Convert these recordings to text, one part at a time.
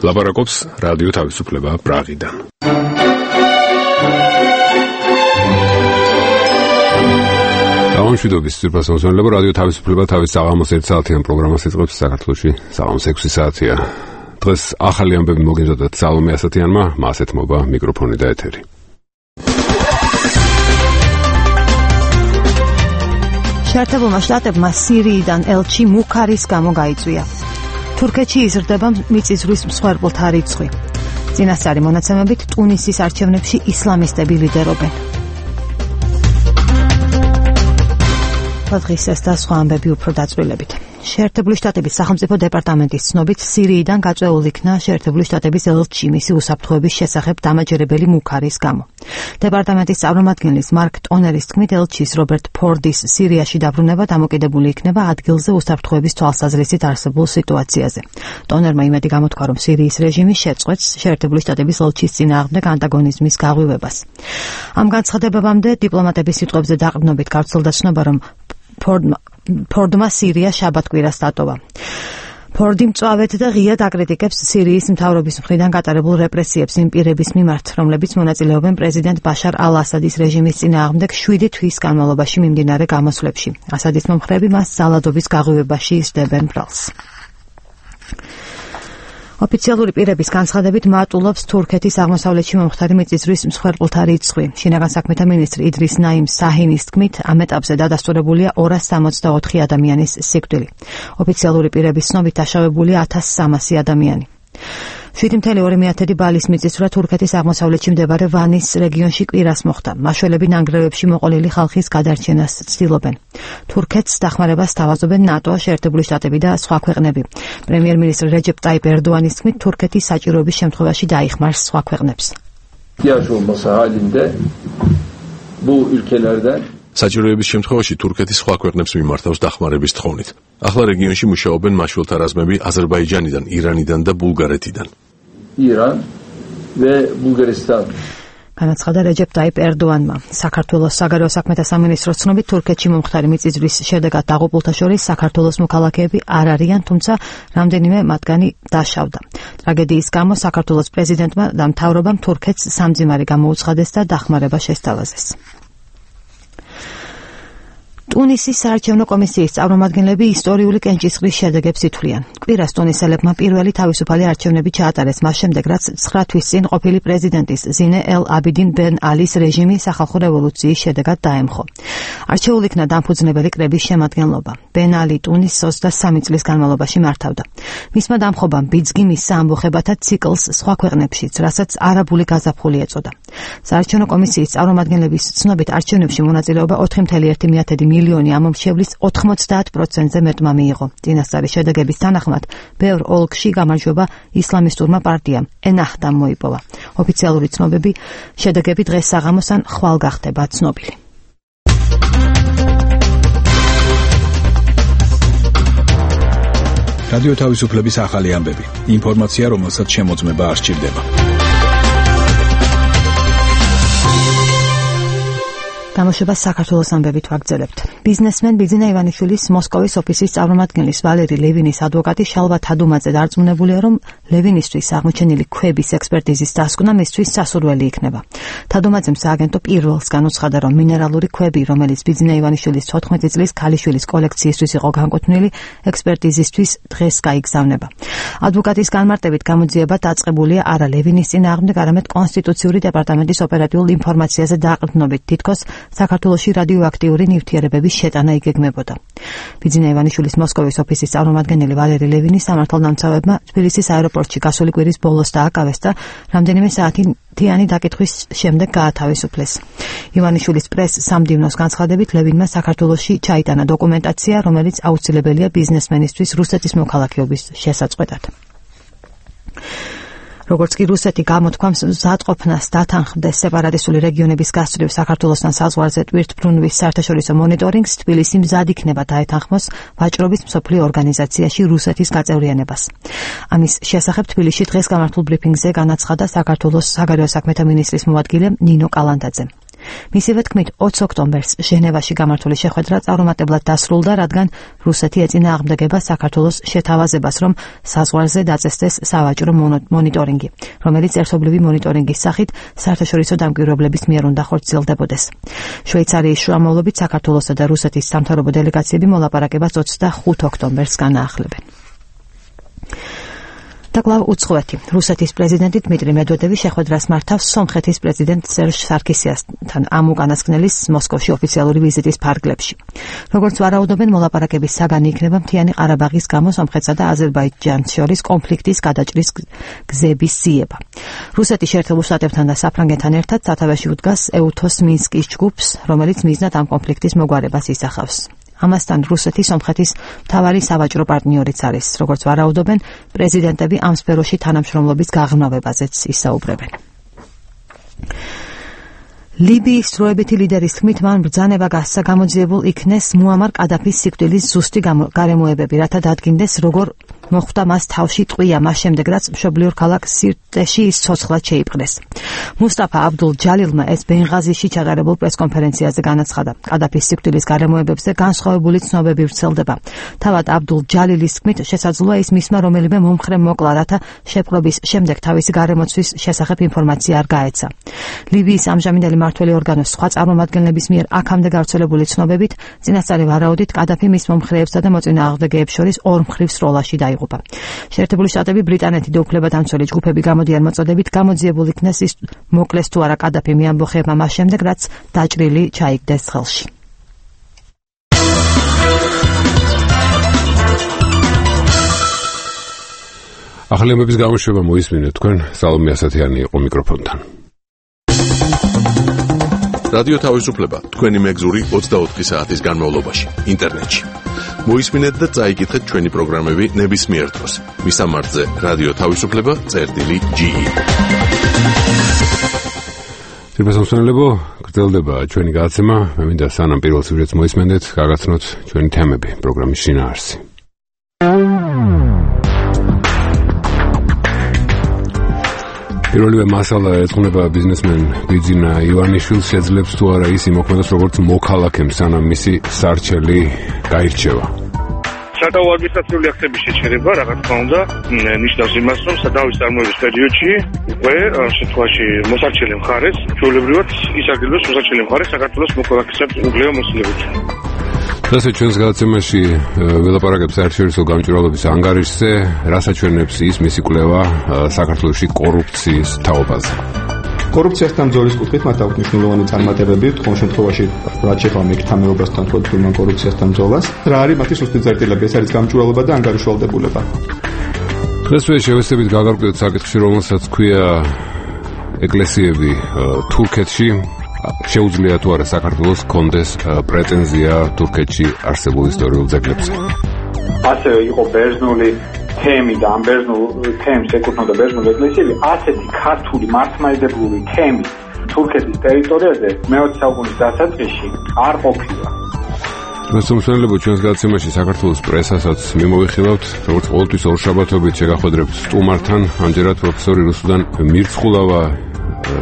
ლაპარაკობს რადიო თავისუფლება პრაღიდან. გამომშვიდობის სიტყვასაუბრებლება რადიო თავისუფლება თავის საღამოს 1 საათიან პროგრამას იწყებს საქართველოში საღამოს 6 საათია. დღეს ახალი ამბები მოგეზოდათ სალომე ასათიანმა, მას ეთმობა მიკროფონი და ეთერი. შეერთებულმა შტატებმა სირიიდან ელჩი მუქარის გამო გაიწვია. თურქეთში იზრდება მიწისძვრის მსხვერპლთა რიცხვი. წინასწარი მონაცემებით ტუნისის არჩევნებში ისლამისტები ლიდერობენ. დღის ეს და სხვა ამბები უფრო დაწვრილებით. შეერთებული შტატების სახელმწიფო დეპარტამენტის ცნობით სირიიდან გაწეული იქნა შეერთებული შტატების ელჩი მისი უსაფრთხოების შესახებ დამაჯერებელი მუქარის გამო. დეპარტამენტის წარმომადგენლის მარკ ტონერის თქმით, ელჩის რობერტ ფორდის სირიაში დაბრუნება დამოკიდებული იქნება ადგილზე უსაფრთხოების თვალსაზრისით არსებულ სიტუაციაზე. ტონერმა იმედი გამოთქვა, რომ სირიის რეჟიმი შეწყვეტს შეერთებული შტატების ელჩის წინააღმდეგ ანტაგონიზმის გაღვივებას. ამ განცხადებამდე დიპლომატების სიტყვებზე დაყრდნობით გავრცელდა ცნობა, რომ ფორდმა სირია შაბათ-კვირას დატოვა. ფორდი მწვავედ და ღიად აკრიტიკებს სირიის მთავრობის მხრიდან გატარებულ რეპრესიებს იმ პირების მიმართ, რომლებიც მონაწილეობენ პრეზიდენტ ბაშარ ალ-ასადის რეჟიმის წინააღმდეგ 7 თვის განმავლობაში მიმდინარე გამოსვლებში. ასადის მომხრეები მას ძალადობის გაღვივებაში ისდებენ ბრალს. ოფიციალური პირების განცხადებით მატულობს თურქეთის აღმოსავლეთში მომხდარი მიწისძვრის მსხვერპლთა რიცხვი. შინაგან საქმეთა მინისტრი იდრის ნაიმ საჰინის თქმით, ამ ეტაპზე დადასტურებულია 264 ადამიანის სიკვდილი. ოფიციალური პირების ცნობით დაშავებულია 1300 ადამიანი. 7.2 ბალის მიწისძვრა თურქეთის აღმოსავლეთში მდებარე ვანის რეგიონში კვირას მოხდა. მაშველები ნანგრევებში მოყოლილი ხალხის გადარჩენას ცდილობენ. თურქეთს დახმარებას სთავაზობენ ნატო, შეერთებული შტატები და სხვა ქვეყნები. პრემიერ-მინისტრი რეჯეპ ტაიპ ერდოანის თქმით, თურქეთი საჭიროების შემთხვევაში დაიხმარს სხვა ქვეყნებს. საჭიროების შემთხვევაში თურქეთი სხვა ქვეყნებს მიმართავს დახმარების თხოვნით. ახლა რეგიონში მუშაობენ მაშველთა რაზმები აზერბაიჯანიდან, ირანიდან და ბულგარეთიდან. ირან და ბულგარეთიდან. განაცხადა რეჯეპ ტაიპ ერდოანმა. საქართველოს საგარეო საქმეთა სამინისტროს ცნობით, თურქეთში მომხდარი მიწისძვრის შედეგად დაღუპულთა შორის საქართველოს მოქალაქეები არ არიან, თუმცა რამდენიმე მათგანი დაშავდა. ტრაგედიის გამო საქართველოს პრეზიდენტმა და მთავრობამ თურქეთს სამძიმარი გამოუცხადეს და დახმარება შესთავაზეს. ტუნისის საარჩევნო კომისიის წარმომადგენლები ისტორიული კენჭისყრის შედეგებს ითვლიან. კვირას ტუნისელებმა პირველი თავისუფალი არჩევნები ჩაატარეს მას შემდეგ, რაც 9 თვის წინ ყოფილი პრეზიდენტის ზინე ელ აბიდინ ბენ ალის რეჟიმი სახალხო რევოლუციის შედეგად დაემხო. არჩეულ იქნა დამფუძნებელი კრების შემადგენლობა. ბენ ალი ტუნისს 23 წლის განმავლობაში მართავდა. მისმა დამხობამ ბიძგი მისცა ამბოხებათა ციკლს სხვა ქვეყნებშიც, რასაც არაბული გაზაფხული ეწოდა. საარჩევნო კომისიის წარმომადგენლების ცნობით, არჩევნებში მონაწილეობა 4.1 მილიონი ამომრჩევლის 90%-ზე მეტმა მიიღო. წინასწარი შედეგების თანახმად, ბევრ ოლქში გამარჯვება ისლამისტურმა პარტიამ ენაჰდამ მოიპოვა. ოფიციალური ცნობები შედეგები დღეს საღამოს ან ხვალ გახდება ცნობილი. რადიო თავისუფლების ახალი ამბები. ინფორმაცია, რომელსაც შემოწმება არ სჭირდება. გამოშვებას საქართველოს ამბებით ვაგრძელებთ. ბიზნესმენ ბიძინა ივანიშვილის მოსკოვის ოფისის წარმომადგენლის ვალერი ლევინის ადვოკატი შალვა თადუმაძე დარწმუნებულია, რომ ლევინისთვის აღმოჩენილი ქვების ექსპერტიზის დასკვნა მისთვის სასურველი იქნება. თადუმაძემ სააგენტო პირველს განუცხადა, რომ მინერალური ქვები, რომელიც ბიძინა ივანიშვილის 14 წლის ქალიშვილის კოლექციისთვის იყო განკუთვნილი, ექსპერტიზისთვის დღეს გაიგზავნება. ადვოკატის განმარტებით გამოძიება დაწყებულია არა ლევინის წინააღმდეგ, არამედ კონსტიტუციური დეპარტამენტის ოპერატიულ ინფორმაციაზე დაყრდნობით, თითქოს საქართველოში რადიოაქტიური ნივთიერებების შეტანა იგეგმებოდა. ბიძინა ივანიშვილის მოსკოვის ოფისის წარმომადგენელი ვალერი ლევინი სამართალდამცავებმა თბილისის აეროპორტში გასული კვირის ბოლოს დააკავეს და რამდენიმე საათიანი დაკითხვის შემდეგ გაათავისუფლეს. ივანიშვილის პრეს-სამდივნოს განცხადებით, ლევინმა საქართველოში ჩაიტანა დოკუმენტაცია, რომელიც აუცილებელია ბიზნესმენისთვის რუსეთის მოქალაქეობის შესაწყვეტად. როგორც კი რუსეთი გამოთქვამს მზადყოფნას დათანხმდეს სეპარატისტული რეგიონების გასწვრივ საქართველოსთან საზღვარზე ტვირთბრუნვის საერთაშორისო მონიტორინგს, თბილისი მზად იქნება დაეთანხმოს ვაჭრობის მსოფლიო ორგანიზაციაში რუსეთის გაწევრიანებას. ამის შესახებ თბილისში დღეს გამართულ ბრიფინგზე განაცხადა საქართველოს საგარეო საქმეთა მინისტრის მოადგილე ნინო კალანდაძე. მისივე თქმით, 20 ოქტომბერს ჟენევაში გამართული შეხვედრა წარუმატებლად დასრულდა, რადგან რუსეთი ეწინააღმდეგება საქართველოს შეთავაზებას, რომ საზღვარზე დაწესდეს სავაჭრო მონიტორინგი, რომელიც ერთობლივი მონიტორინგის სახით საერთაშორისო დამკვირვებლების მიერ უნდა ხორციელდებოდეს. შვეიცარიის შუამავლობით საქართველოსა და რუსეთის სამთავრობო დელეგაციები მოლაპარაკებას 25 ოქტომბერს განაახლებენ. და კვლავ უცხოეთი. რუსეთის პრეზიდენტი დმიტრი მედვედევი შეხვედრას მართავს სომხეთის პრეზიდენტ სერჟ სარქისიანთან ამ უკანასკნელის მოსკოვში ოფიციალური ვიზიტის ფარგლებში. როგორც ვარაუდობენ, მოლაპარაკების საგანი იქნება მთიანი ყარაბაღის გამო სომხეთსა და აზერბაიჯანს შორის კონფლიქტის გადაჭრის გზების ძიება. რუსეთი შეერთებულ შტატებთან და საფრანგეთთან ერთად სათავეში უდგას ეუთოს მინსკის ჯგუფს, რომელიც მიზნად ამ კონფლიქტის მოგვარებას ისახავს. ამასთან რუსეთი სომხეთის მთავარი სავაჭრო პარტნიორიც არის. როგორც ვარაუდობენ, პრეზიდენტები ამ სფეროში თანამშრომლობის გაღრმავებაზეც ისაუბრებენ. ლიბიის დროებითი ლიდერის თქმით, მან ბრძანება გასცა გამოძიებულ იქნეს მუამარ კადაფის სიკვდილის ზუსტი გარემოებები, რათა დადგინდეს, როგორ მოხვდა მას თავში ტყვია მას შემდეგ, რაც მშობლიურ ქალაქ სირტეში ის ცოცხლად შეიპყრეს. მუსტაფა აბდულ ჯალილმა ეს ბენღაზიში ჩატარებულ პრესკონფერენციაზე განაცხადა. კადაფის სიკვდილის გარემოებებზე განსხვავებული ცნობები ვრცელდება. თავად აბდულ ჯალილის თქმით, შესაძლოა ის მისმა რომელიმე მომხრე მოკლა, რათა შეპყრობის შემდეგ თავისი გარემოცვის შესახებ ინფორმაცია არ გაეცა. ლიბიის ამჟამინდელი მმართველი ორგანოს სხვა წარმომადგენლების მიერ აქამდე გავრცელებული ცნობებით, წინასწარი ვარაუდით კადაფი მის მომხრეებსა და მოწინააღმდეგეებს შორის ორმხრივ სროლაში დაიღუპა. შეერთებული შტატები, ბრიტანეთი და უფლებადამცველი ჯგუფები გამოდიან მოწოდებით გამოძიებულ იქნეს ის მოკლეს თუ არა კადაფიმ ამბოხებმა მას შემდეგ, რაც დაჭრილი ჩაიგდეს ხელში. ახალი ამბების გამოშვება მოისმინეთ თქვენ, სალომე ასათიანი იყო მიკროფონთან. რადიო თავისუფლება თქვენი მეგზური 24 საათის განმავლობაში ინტერნეტში. მოისმინეთ და წაიკითხეთ ჩვენი პროგრამები ნებისმიერ დროს. მისამართზე რადიო თავისუფლება.ge. სიბრასამსვენელებო, გრძელდება ჩვენი გადაცემა. მე მინდა სანამ პირველ სიუჟეტს მოისმენდეთ, გაგაცნოთ ჩვენი თემები პროგრამის შინაარსი. პირველივე მასალა ეძღვნება ბიზნესმენ ბიძინა ივანიშვილს, შეძლებს თუ არა ის იმოქმედოს როგორც მოქალაქემ, სანამ მისი სარჩელი გაირჩევა. სადავო ადმინისტრაციული აქტების შეჩერება, რა თქმა უნდა, ნიშნავს იმას, რომ სადავის წარმოების პერიოდში უკვე შემთხვევაში მოსარჩელი მხარეს, ჩვეულებრივად ისარგებლოს მოსარჩელი მხარეს საქართველოს მოქალაქეებს უგლეო მოსილებით. დღეს ჩვენს გადაცემაში ველაპარაკებთ საერთაშორისო გამჭვირვალობის ანგარიშზე, რასაც ჩვენებს ის მისი კვლევა საქართველოში კორუფციის თაობაზე. კორუფციასთან ბრძოლის კუთხით მათ აქვს მნიშვნელოვანი წარმატებები, თქვენ შემთხვევაში რაც შეეხება მეკითხამეობასთან თვითონ კორუფციასთან ბრძოლას. რა არის მათი სუსტი წერტილები? ეს არის გამჭვირვალობა და ანგარიშვალდებულება. დღესვე შევესწრებით გაგარკვევთ საკითხში, რომელსაც ქვია ეკლესიები თურქეთში. შეუძლია თუ არა საქართველოს კონდეს პრეტენზია თურქეთში არსებულ ისტორიულ ძეგლებზე. ასევე იყო ბერძნული თემი და ამ ბერძნულ თემს ეკუთვნოდა ბერძნული ეკლესიები, ასეთი ქართული მართლმადიდებლური თემი თურქეთის ტერიტორიაზე მე-20 საუკუნის დასაწყისში არ ყოფილა. მოსამსვლელებო, ჩვენს გადაცემაში საქართველოს პრესასაც მიმოვიხილავთ, როგორც ყოველთვის ორშაბათობით შეგახვედრებთ სტუმართან, ამჯერად პროფესორი რუსუდან მირცხულავა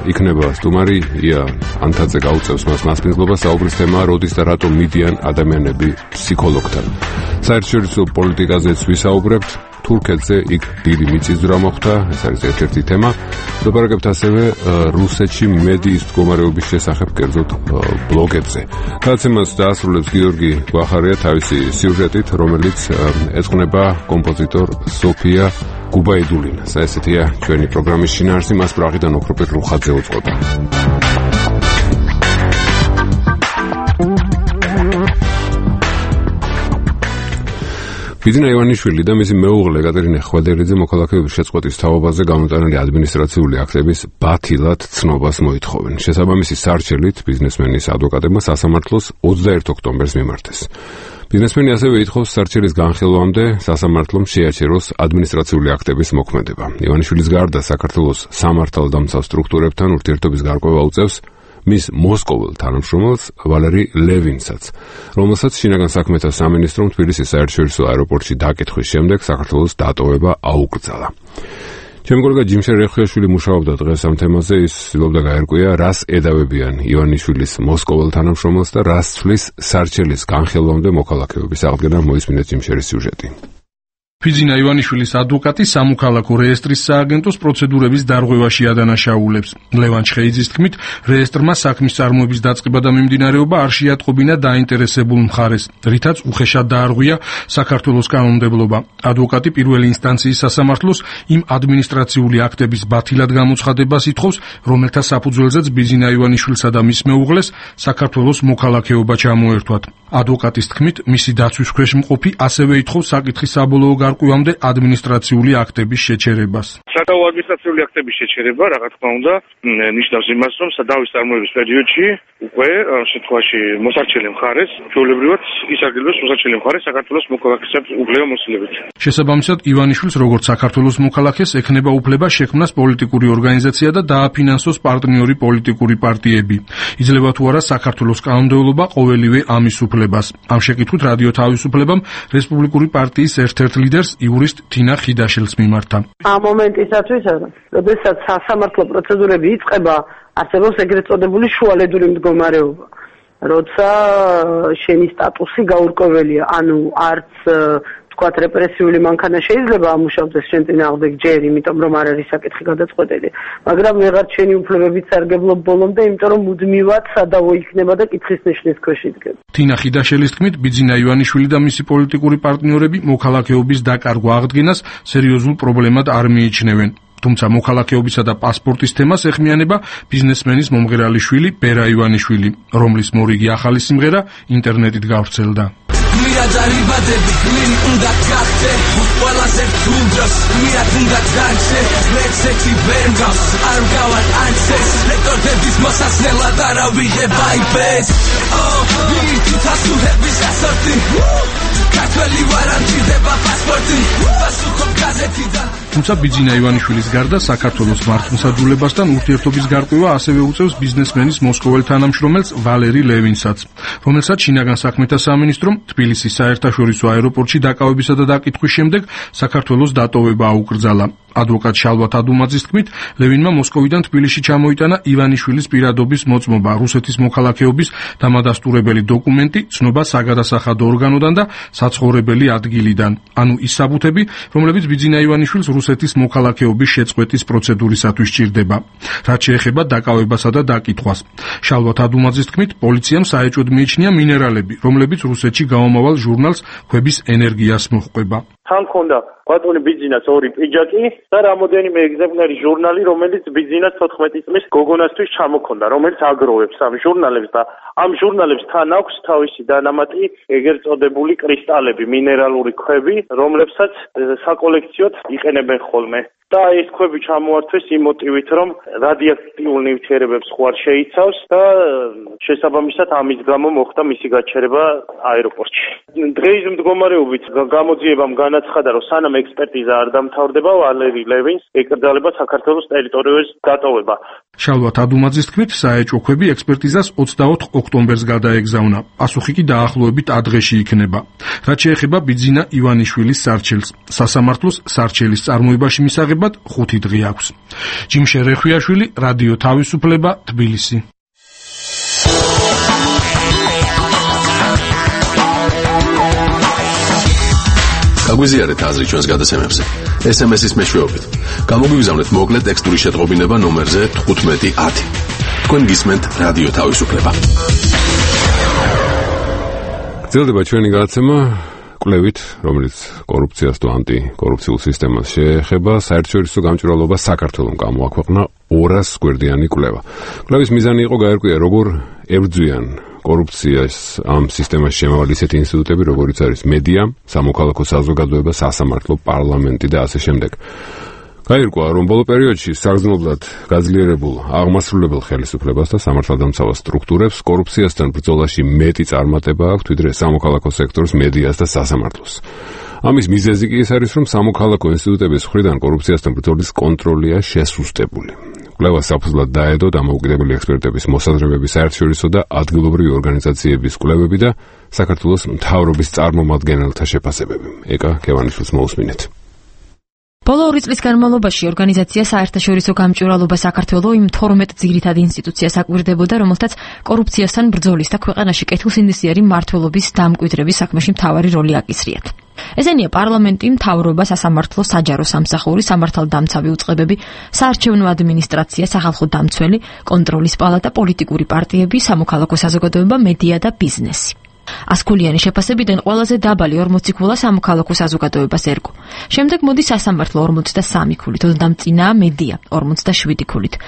იქნება სტუმარი, ია ანთაძე გაუწევს მას მასპინძლობას, საუბრის თემაა როდის და რატომ მიდიან ადამიანები ფსიქოლოგთან. საერთაშორისო პოლიტიკაზეც ვისაუბრებთ, თურქეთზე იქ დიდი მიწისძვრა მოხდა, ეს არის ერთ-ერთი თემა. ვლაპარაკებთ ასევე რუსეთში მედიის მდგომარეობის შესახებ, კერძოდ ბლოგებზე. გადაცემას დაასრულებს გიორგი გვახარია თავისი სიუჟეტით, რომელიც ეძღვნება კომპოზიტორ სოფია გუბაიდულინას. ესეთია ჩვენი პროგრამის შინაარსი, მას პრაღიდან ოქროპეტ რუხაძე უწყობა. ბიძინა ივანიშვილი და მისი მეუღლე კატერინე ხვადერიძე მოქალაქეობის შეწყვეტის თაობაზე გამოტანილი ადმინისტრაციული აქტების ბათილად ცნობას მოითხოვენ. შესაბამისი სარჩელით ბიზნესმენის ადვოკატებმა სასამართლოს 21 ოქტომბერს მიმართეს. ბიზნესმენი ასევე ითხოვს სარჩელის განხილვამდე სასამართლომ შეაჩეროს ადმინისტრაციული აქტების მოქმედება. ივანიშვილის გარდა საქართველოს სამართალდამცავ სტრუქტურებთან ურთიერთობის გარკვევა უწევს მის მოსკოველ თანამშრომელს ვალერი ლევინსაც, რომელსაც შინაგან საქმეთა სამინისტრომ თბილისის საერთაშორისო აეროპორტში დაკითხვის შემდეგ საქართველოს დატოვება აუკრძალა. ჩემი კოლეგა ჯიმშერ რეხუიაშვილი მუშაობდა დღეს ამ თემაზე, ის ცდილობდა გაერკვია, რას ედავებიან ივანიშვილის მოსკოვალ თანამშრომელს და რას ცვლის სარჩელის განხილვამდე მოქალაქეობის აღდგენა. მოისმინეთ ჯიმშერის სიუჟეტი. ფიძინა ივანიშვილის ადვოკატი სამოქალაქო რეესტრის სააგენტოს პროცედურების დარღვევაში ადანაშაულებს. ლევან ჩხეიძის თქმით, რეესტრმა საქმის წარმოების დაწყება და მიმდინარეობა არ შეატყობინა დაინტერესებულ მხარეს, რითაც უხეშად დაარღვია საქართველოს კანონმდებლობა. ადვოკატი პირველი ინსტანციის სასამართლოს იმ ადმინისტრაციული აქტების ბათილად გამოცხადებას ითხოვს, რომელთა საფუძველზეც ბიძინა ივანიშვილსა და მის მეუღლეს საქართველოს მოქალაქეობა ჩამოერთვათ. ადვოკატის თქმით, მისი დაცვის ქვეშ მყოფი ასევე ითხოვს საკითხის საბოლოო გარკვევამდე ადმინისტრაციული აქტების შეჩერებას. სადავო ადმინისტრაციული აქტების შეჩერება, რა თქმა უნდა, ნიშნავს იმას, რომ სადავის წარმოების პერიოდში უკვე შემთხვევაში მოსარჩელი მხარეს, ჩვეულებრივად ისარგებლოს მოსარჩელი მხარეს საქართველოს მოქალაქეების უფლება მოსილებით. შესაბამისად, ივანიშვილს როგორც საქართველოს მოქალაქეს ექნება უფლება შექმნას პოლიტიკური ორგანიზაცია და დააფინანსოს პარტნიორი პოლიტიკური პარტიები. იძლევა თუ არა საქართველოს კანონმდებლობა ყოველივე ამის უფლებას. ამ შეკითხვით რადიო თავისუფლებამ რესპუბლიკური პარტიის ერთ-ერთ ლიდერს იურისტ თინა ხიდაშელს მიმართა. ამ მომენტისათვის, როდესაც სასამართლო პროცედურები იწყება, არსებობს ეგრეთ წოდებული შუალედური მდგომარეობა. როცა შენი სტატუსი გაურკვეველია, ანუ არც თქვათ რეპრესიული მანქანა შეიძლება ამუშავდეს შენ წინააღმდეგ ჯერ, იმიტომ რომ არ არის საკითხი გადაწყვეტილი, მაგრამ ვეღარ შენი უფლებებით სარგებლობ ბოლომდე, იმიტომ რომ მუდმივად სადავო იქნება და კითხვის ნიშნის ქვეშ იდგება. თინა ხიდაშელის თქმით, ბიძინა ივანიშვილი და მისი პოლიტიკური პარტნიორები მოქალაქეობის დაკარგვა აღდგენას სერიოზულ პრობლემად არ მიიჩნევენ. თუმცა მოქალაქეობისა და პასპორტის თემას ეხმიანება ბიზნესმენის მომღერალი შვილი ბერა ივანიშვილი, რომლის მორიგი ახალი სიმღერა ინტერნეტით გავრცელდა. მიაძარიბადები გლინი უნდა გახდე ყველაზე თუნდროს მიად უნდა დარჩე ლექსეთი ვერ მგავს არ მგავარ ანცეს ლექტორების მოსასნელად არა ვიღებ აიბეს ვირთით ასულების ასორტი ქართველი ვარ არ მჭირდება პასპორტი პასუხობ გაზეთიდან. თუმცა ბიძინა ივანიშვილის გარდა საქართველოს მართლმსაჯულებასთან ურთიერთობის გარკვევა ასევე უწევს ბიზნესმენის მოსკოვალ თანამშრომელს ვალერი ლევინსაც, რომელსაც შინაგან საქმეთა სამინისტრომ თბილისის საერთაშორისო აეროპორტში დაკავებისა და დაკითხვის შემდეგ საქართველოს დატოვება აუკრძალა. ადვოკატ შალვა თადუმაძის თქმით, ლევინმა მოსკოვიდან თბილისში ჩამოიტანა ივანიშვილის პირადობის მოწმობა, რუსეთის მოქალაქეობის დამადასტურებელი დოკუმენტი, ცნობა საგადასახადო ორგანოდან და საცხოვრებელი ადგილიდან. ანუ ის საბუთები, რომლებიც ბიძინა ივანიშვილს რუსეთის მოქალაქეობის შეწყვეტის პროცედურისათვის სჭირდება. რაც შეეხება დაკავებასა და დაკითხვას. შალვა თადუმაძის თქმით, პოლიციამ საეჭვოდ მიიჩნია მინერალები, რომლებიც რუსეთში გამომავალ ჟურნალს ქვების ენერგიას მოჰყვება. თან ქონდა ბატონი ბიძინას ორი პიჯაკი და რამოდენიმე ეგზემპლარი ჟურნალი, რომელიც ბიძინას 14 წლის გოგონასთვის ჩამოქონდა, რომელიც აგროვებს ამ ჟურნალებს და ამ ჟურნალებს თან აქვს თავისი დანამატი ეგრეთ წოდებული კრისტალები, მინერალური ქვები, რომლებსაც საკოლექციოდ იყენებენ ხოლმე. და ეს ქვები ჩამოართვეს იმ მოტივით, რომ რადიოაქტიურ ნივთიერებებს ხوار შეიცავს და შესაბამისად ამის გამო მოხდა მისი გაჩერება აეროპორტში. დღეის მდგომარეობით გამოძიებამ განაცხადა, რომ სანამ ექსპერტიზა არ დამთავრდება, ვალერი ლევინს ეკრძალება საქართველოს ტერიტორიაზე დატოვება. შალვა თადუმაძის თქმით, საეჭვო ქვები ექსპერტიზას 24 ოქტომბერს გადაეგზავნა. პასუხი კი დაახლოებით ადრეში იქნება. რაც შეეხება ბიძინა ივანიშვილის სარჩელს, სასამართლოს სარჩელის წარმოებაში მისაღებად 5 დღე აქვს. ჯიმშერ რეხუიაშვილი, რადიო თავისუფლება, თბილისი. გაგვიზიარეთ აზრი ჩვენს გადაცემებზე. SMS-ის მეშვეობით. გამოგვიგზავნეთ მოკლე ტექსტური შეტყობინება ნომერზე 1510. თქვენ გისმენთ რადიო თავისუფლება. გრძელდება ჩვენი გადაცემა კვლევით, რომელიც კორუფციას თუ ანტიკორუფციულ სისტემას შეეხება. საერთაშორისო გამჭვირვალობა საქართველოს გამოაქვეყნა 200 გვერდიანი კვლევა. კვლევის მიზანი იყო გაერკვია, როგორ ებრძვიან კორუფციას ამ სისტემაში შემავალი ისეთი ინსტიტუტები, როგორიც არის მედია, სამოქალაქო საზოგადოება, სასამართლო, პარლამენტი და ასე შემდეგ. გაირკვა, რომ ბოლო პერიოდში საგრძნობლად გაძლიერებულ აღმასრულებელ ხელისუფლებას და სამართალდამცავ სტრუქტურებს კორუფციასთან ბრძოლაში მეტი წარმატება აქვთ, ვიდრე სამოქალაქო სექტორს, მედიას და სასამართლოს. ამის მიზეზი კი ის არის, რომ სამოქალაქო ინსტიტუტების მხრიდან კორუფციასთან ბრძოლის კონტროლია შესუსტებული. კვლევას საფუძვლად დაედო დამოუკიდებელი ექსპერტების მოსაზრებები, საერთაშორისო და ადგილობრივი ორგანიზაციების კვლევები და საქართველოს მთავრობის წარმომადგენელთა შეფასებები. ეკა კევანიშვილს მოусმინეთ. ბოლო ბოლო 2 წლის განმავლობაში ორგანიზაცია საერთაშორისო გამჭვირვალობა საქართველოს იმ 12 ძირითად ინსტიტუციას აკვირდებოდა, რომელთაც კორუფციასთან ბრძოლის და ქვეყანაში კეთილსინდისიერი მმართველობის დამკვიდრების საქმეში მთავარი როლი აკისრიათ. ესენია პარლამენტი, მთავრობა, სასამართლო, საჯარო სამსახური, სამართალდამცავი უწყებები, საარჩევნო ადმინისტრაცია, სახალხო დამცველი, კონტროლის პალატა, პოლიტიკური პარტიები, სამოქალაქო საზოგადოება, მედია და ბიზნესი. 100-ქულიანი შეფასებიდან ყველაზე დაბალი 40 ქულა სამოქალაქო საზოგადოებას ერგო. შემდეგ მოდის სასამართლო 43 ქულით, ოდნავ მედია 47 ქულით.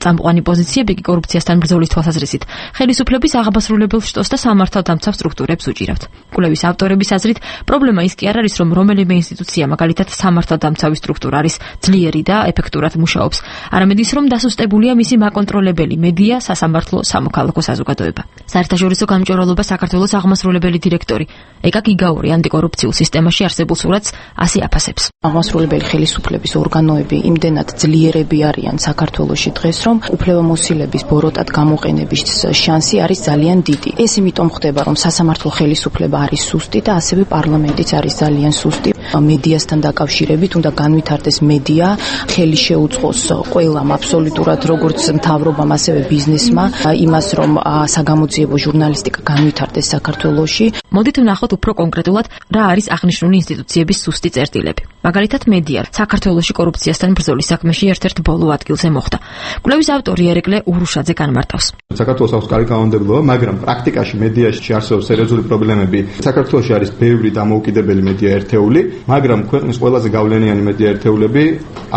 წამყვანი პოზიციები კი კორუფციასთან ბრძოლის თვალსაზრისით ხელისუფლების აღაბასრულებელ შტოს და სამართალდამცავ სტრუქტურებს უჭირავთ. კვლევის ავტორების აზრით, პრობლემა ის კი არ არის, რომ რომელიმე ინსტიტუცია, მაგალითად სამართალდამცავი სტრუქტურა არის ძლიერი და ეფექტურად მუშაობს, არამედ ის, რომ დასუსტებულია მისი მაკონტროლებელი მედია, სასამართლო, სამოქალაქო საზოგადოება. საერთაშორისო გამჭვირვალობა საქართველოს აღმასრულებელი დირექტორი ეკა გიგაური ანტიკორუფციულ სისტემაში არსებულ სურათს ასე აფასებს. აღმასრულებელი ხელისუფლების ორგანოები იმდენად ძლიერები არიან საქართველოში დღეს, რომ უფლებამოსილების ბოროტად გამოყენების შანსი არის ძალიან დიდი. ეს იმიტომ ხდება, რომ სასამართლო ხელისუფლება არის სუსტი და ასევე პარლამენტიც არის ძალიან სუსტი. მედიასთან დაკავშირებით უნდა განვითარდეს მედია, ხელი შეუწყოს ყველამ აბსოლუტურად როგორც მთავრობამ, ასევე ბიზნესმა იმას, რომ საგამოძიებო ჟურნალისტიკა განვითარდეს საქართველოში. მოდით ვნახოთ უფრო კონკრეტულად, რა არის აღნიშნული ინსტიტუციების სუსტი წერტილები. მაგალითად, მედია საქართველოში კორუფციასთან ბრძოლის საქმეში ერთ-ერთ ბოლო ადგილზე მოხვდა. კვლევის ავტორი ერეკლე ურუშაძე განმარტავს. საქართველოს აქვს კარგი კანონმდებლობა, მაგრამ პრაქტიკაში მედიაში არსებობს სერიოზული პრობლემები. საქართველოში არის ბევრი დამოუკიდებელი მედია ერთეული, მაგრამ ქვეყნის ყველაზე გავლენიანი მედია ერთეულები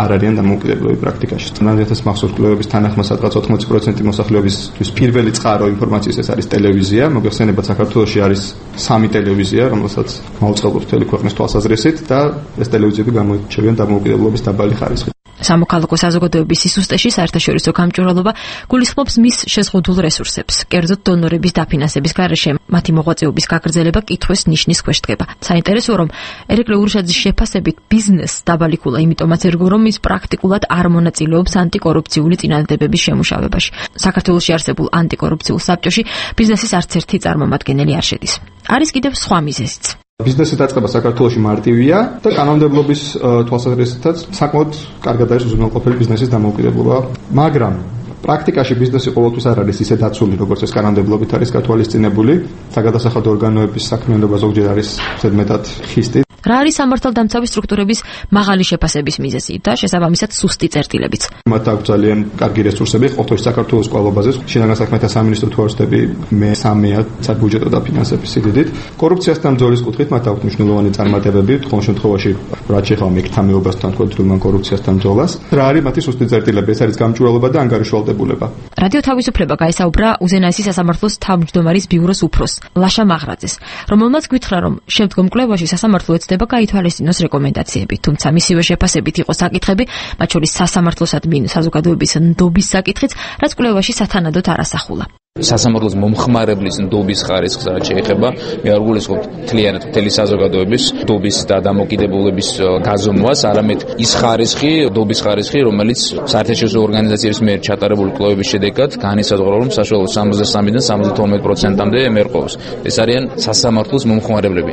არ არიან დამოუკიდებლები პრაქტიკაში. 2000 მახსოვს კვლევების თანახმად სადღაც 80% მოსახლეობისთვის პირველი წყარო ინფორმაციის ეს არის ტელევიზია. მოგეხსენებათ, საქართველოში არის 3 ტელევიზია, რომელსაც მაუწყებლობს მთელი ქვეყნის თვალსაზრისით და ეს ტელევიზიები გამოირჩევიან დამოუკიდებლობის დაბალი ხარისხით. სამოქალაქო საზოგადოების სისტემაში საერთაშორისო გამჭვირვალობა გულისხმობს მის შეზღუდულ რესურსებს. კერძოდ დონორების დაფინანსების გარეშე მათი მოღვაწეობის გაგრძელება კითხვის ნიშნის ქვეშ დგება. საინტერესოა, რომ ერეკლე ურუშაძის შეფასებით ბიზნესს დაბალი ქულა იმიტომაც ერგო, რომ ის პრაქტიკულად არ მონაწილეობს ანტიკორუფციული წინადადებების შემუშავებაში. საქართველოში არსებულ ანტიკორუფციულ საბჭოში ბიზნესის არც ერთი წარმომადგენელი არ შედის. არის კიდევ სხვა მიზეზიც. ბიზნესის დაწყება საქართველოში მარტივია და კანონმდებლობის თვალსაზრისითაც საკმაოდ კარგად არის უზრუნველყოფილი ბიზნესის დამოუკიდებლობა, მაგრამ პრაქტიკაში ბიზნესი ყოველთვის არ არის ისე დაცული, როგორც ეს კანონმდებლობით არის გათვალისწინებული. საგადასახადო ორგანოების საქმიანობა ზოგჯერ არის ზედმეტად ხისტი. რა არის სამართალდამცავი სტრუქტურების მაღალი შეფასების მიზეზი და შესაბამისად სუსტი წერტილებიც? მათ აქვს ძალიან კარგი რესურსები, ყოველთვის საქართველოს კვალობაზე, შინაგან საქმეთა სამინისტრო თუ არ ვსდები, მე-3-ია საბუჯეტო დაფინანსების სიდიდით. კორუფციასთან ბრძოლის კუთხით მათ აქვს მნიშვნელოვანი წარმატებები, თქვენ შემთხვევაში რაც ეხება მეკთამეობასთან კონტროლთან კორუფციასთან ბრძოლას. რა არის მათი სუსტი წერტილები? ეს არის გამჭვირვალობა და ანგარიშვალდებულება. რადიო თავისუფლება გაესაუბრა უზენაესი სასამართლოს თავმჯდომარის ბიუროს უფროს ლაშა მაღრაძეს, რომელმაც გითხრა, რომ შემდგომ კვლევაში სასამართლო ეცდება გაითვალისწინოს რეკომენდაციები, თუმცა მისივე შეფასებით იყო საკითხები, მათ შორის სასამართლოსადმი საზოგადოების ნდობის საკითხიც, რაც კვლევაში სათანადოდ არ ასახულა. სასამართლოს მომხმარებლის ნდობის ხარისხს რაც შეეხება, მე არ გულისხმობ მთლიანად მთელი საზოგადოების ნდობის და დამოკიდებულების გაზომვას, არამედ ის ხარისხი, ნდობის ხარისხი, რომელიც საერთაშორისო ორგანიზაციების მიერ ჩატარებული კვლევების შედეგად განისაზღვრა, რომ საშუალოდ 63-დან 72%-მდე მერყეობს. ეს არიან სასამართლოს მომხმარებლები.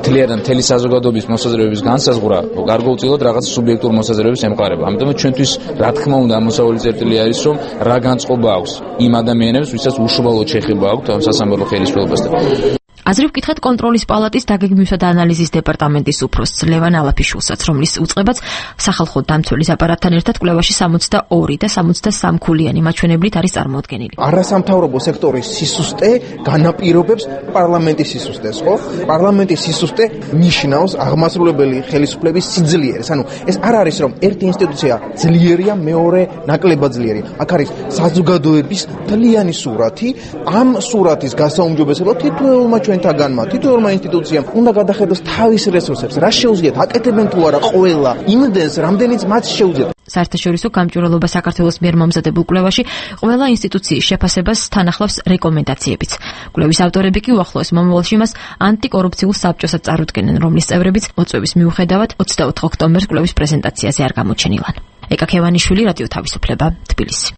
მთლიანად მთელი საზოგადოების მოსაზრებების განსაზღვრა გარკვეულწილად რაღაც სუბიექტურ მოსაზრებებს ემყარება. ამიტომ ჩვენთვის რა თქმა უნდა ამოსავალი წერტილი არის, რომ რა განწყობა აქვს იმ ადამიანებს, ვისაც უშუალოდ შეხება აქვთ ამ სასამართლო ხელისუფლებასთან. აზრი ვკითხეთ კონტროლის პალატის დაგეგმვისა და ანალიზის დეპარტამენტის უფროსს ლევან ალაფიშვილსაც, რომლის უწყებაც სახალხო დამცველის აპარატთან ერთად კვლევაში 62 და 63 ქულიანი მაჩვენებლით არის წარმოდგენილი. არასამთავრობო სექტორის სისუსტე განაპირობებს პარლამენტის სისუსტეს, ხო? პარლამენტის სისუსტე ნიშნავს აღმასრულებელი ხელისუფლების სიძლიერეს. ანუ ეს არ არის რომ ერთი ინსტიტუცია ძლიერია, მეორე ნაკლებად ძლიერია. აქ არის საზოგადოების მთლიანი სურათი, ამ სურათის გასაუმჯობესებლად თითოეულმა ჩვენთაგანმა, თითოეულმა ინსტიტუციამ უნდა გადახედოს თავის რესურსებს, რა შეუძლიათ, აკეთებენ თუ არა ყველა იმდენს, რამდენიც მათ შეუძლიათ. საერთაშორისო გამჭვირვალობა საქართველოს მიერ მომზადებულ კვლევაში ყველა ინსტიტუციის შეფასებას თან ახლავს რეკომენდაციებიც. კვლევის ავტორები კი უახლოეს მომავალში მას ანტიკორუფციულ საბჭოსაც წარუდგენენ, რომლის წევრებიც მოწვევის მიუხედავად 24 ოქტომბერს კვლევის პრეზენტაციაზე არ გამოჩენილან. ეკა ქევანიშვილი, რადიო თავისუფლება, თბილისი.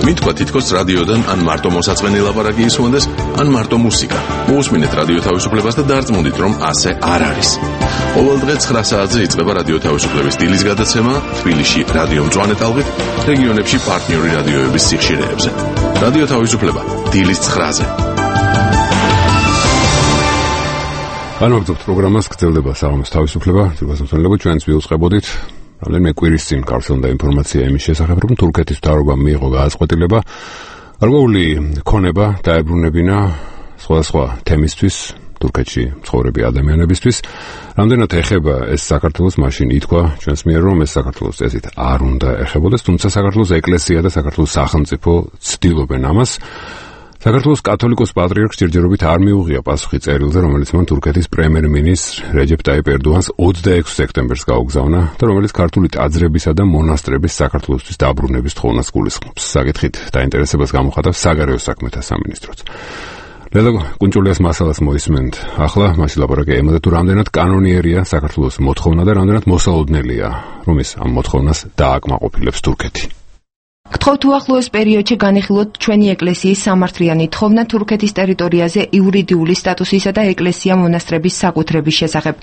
მითქვა თითქოს რადიოდან ან მარტო მოსაწყენი ლაპარაკი ისმონდეს, ან მარტო მუსიკა. მოусმინეთ რადიო თავისუფლებას და დარწმუნდით, რომ ასე არ არის. ყოველ დღე 9 საათზე იწყება რადიო თავისუფლების დილის გადაცემა თბილისში რადიო მწვანე ტალღით, რეგიონებში პარტნიორი რადიოების სიხშირეებზე. რადიო თავისუფლება დილის 9-ზე. განვაგრძობთ პროგრამას, გრძელდება საღამოს თავისუფლება, თვითგაზრდელობა ჩვენს ვიუწყებოდით. რამდენიმე კვირის წინ გავრცელდა ინფორმაცია იმის შესახებ, რომ თურქეთის მთავრობამ მიიღო გადაწყვეტილება გარკვეული ქონება დაებრუნებინა სხვადასხვა თემისთვის თურქეთში მცხოვრები ადამიანებისთვის. რამდენად ეხება ეს საქართველოს, მაშინ ითქვა ჩვენს მიერ, რომ ეს საქართველოს წესით არ უნდა ეხებოდეს, თუმცა საქართველოს ეკლესია და საქართველოს სახელმწიფო ცდილობენ ამას. საქართველოს კათოლიკოს პატრიარქს ჯერჯერობით არ მიუღია პასუხი წერილზე, რომელიც მან თურქეთის პრემიერ-მინისტრ რეჯეპ ტაიპ ერდოღანს 26 სექტემბერს გაუგზავნა და რომელიც ქართული ტაძრებისა და მონასტრების საქართველოსთვის დაბრუნების თხოვნას გულისხმობს. საკითხით დაინტერესებას გამოხატავს საგარეო საქმეთა სამინისტროც. ლელა კუნჭულიას მასალას მოისმენთ. ახლა მასში ლაპარაკი ემატა თუ რამდენად კანონიერია საქართველოს მოთხოვნა და რამდენად მოსალოდნელია, რომ ის ამ მოთხოვნას დააკმაყოფილებს თურქეთი. გთხოვთ უახლოეს პერიოდში განიხილოთ ჩვენი ეკლესიის სამართლიანი თხოვნა თურქეთის ტერიტორიაზე იურიდიული სტატუსისა და ეკლესია-მონასტრების საკუთრების შესახებ.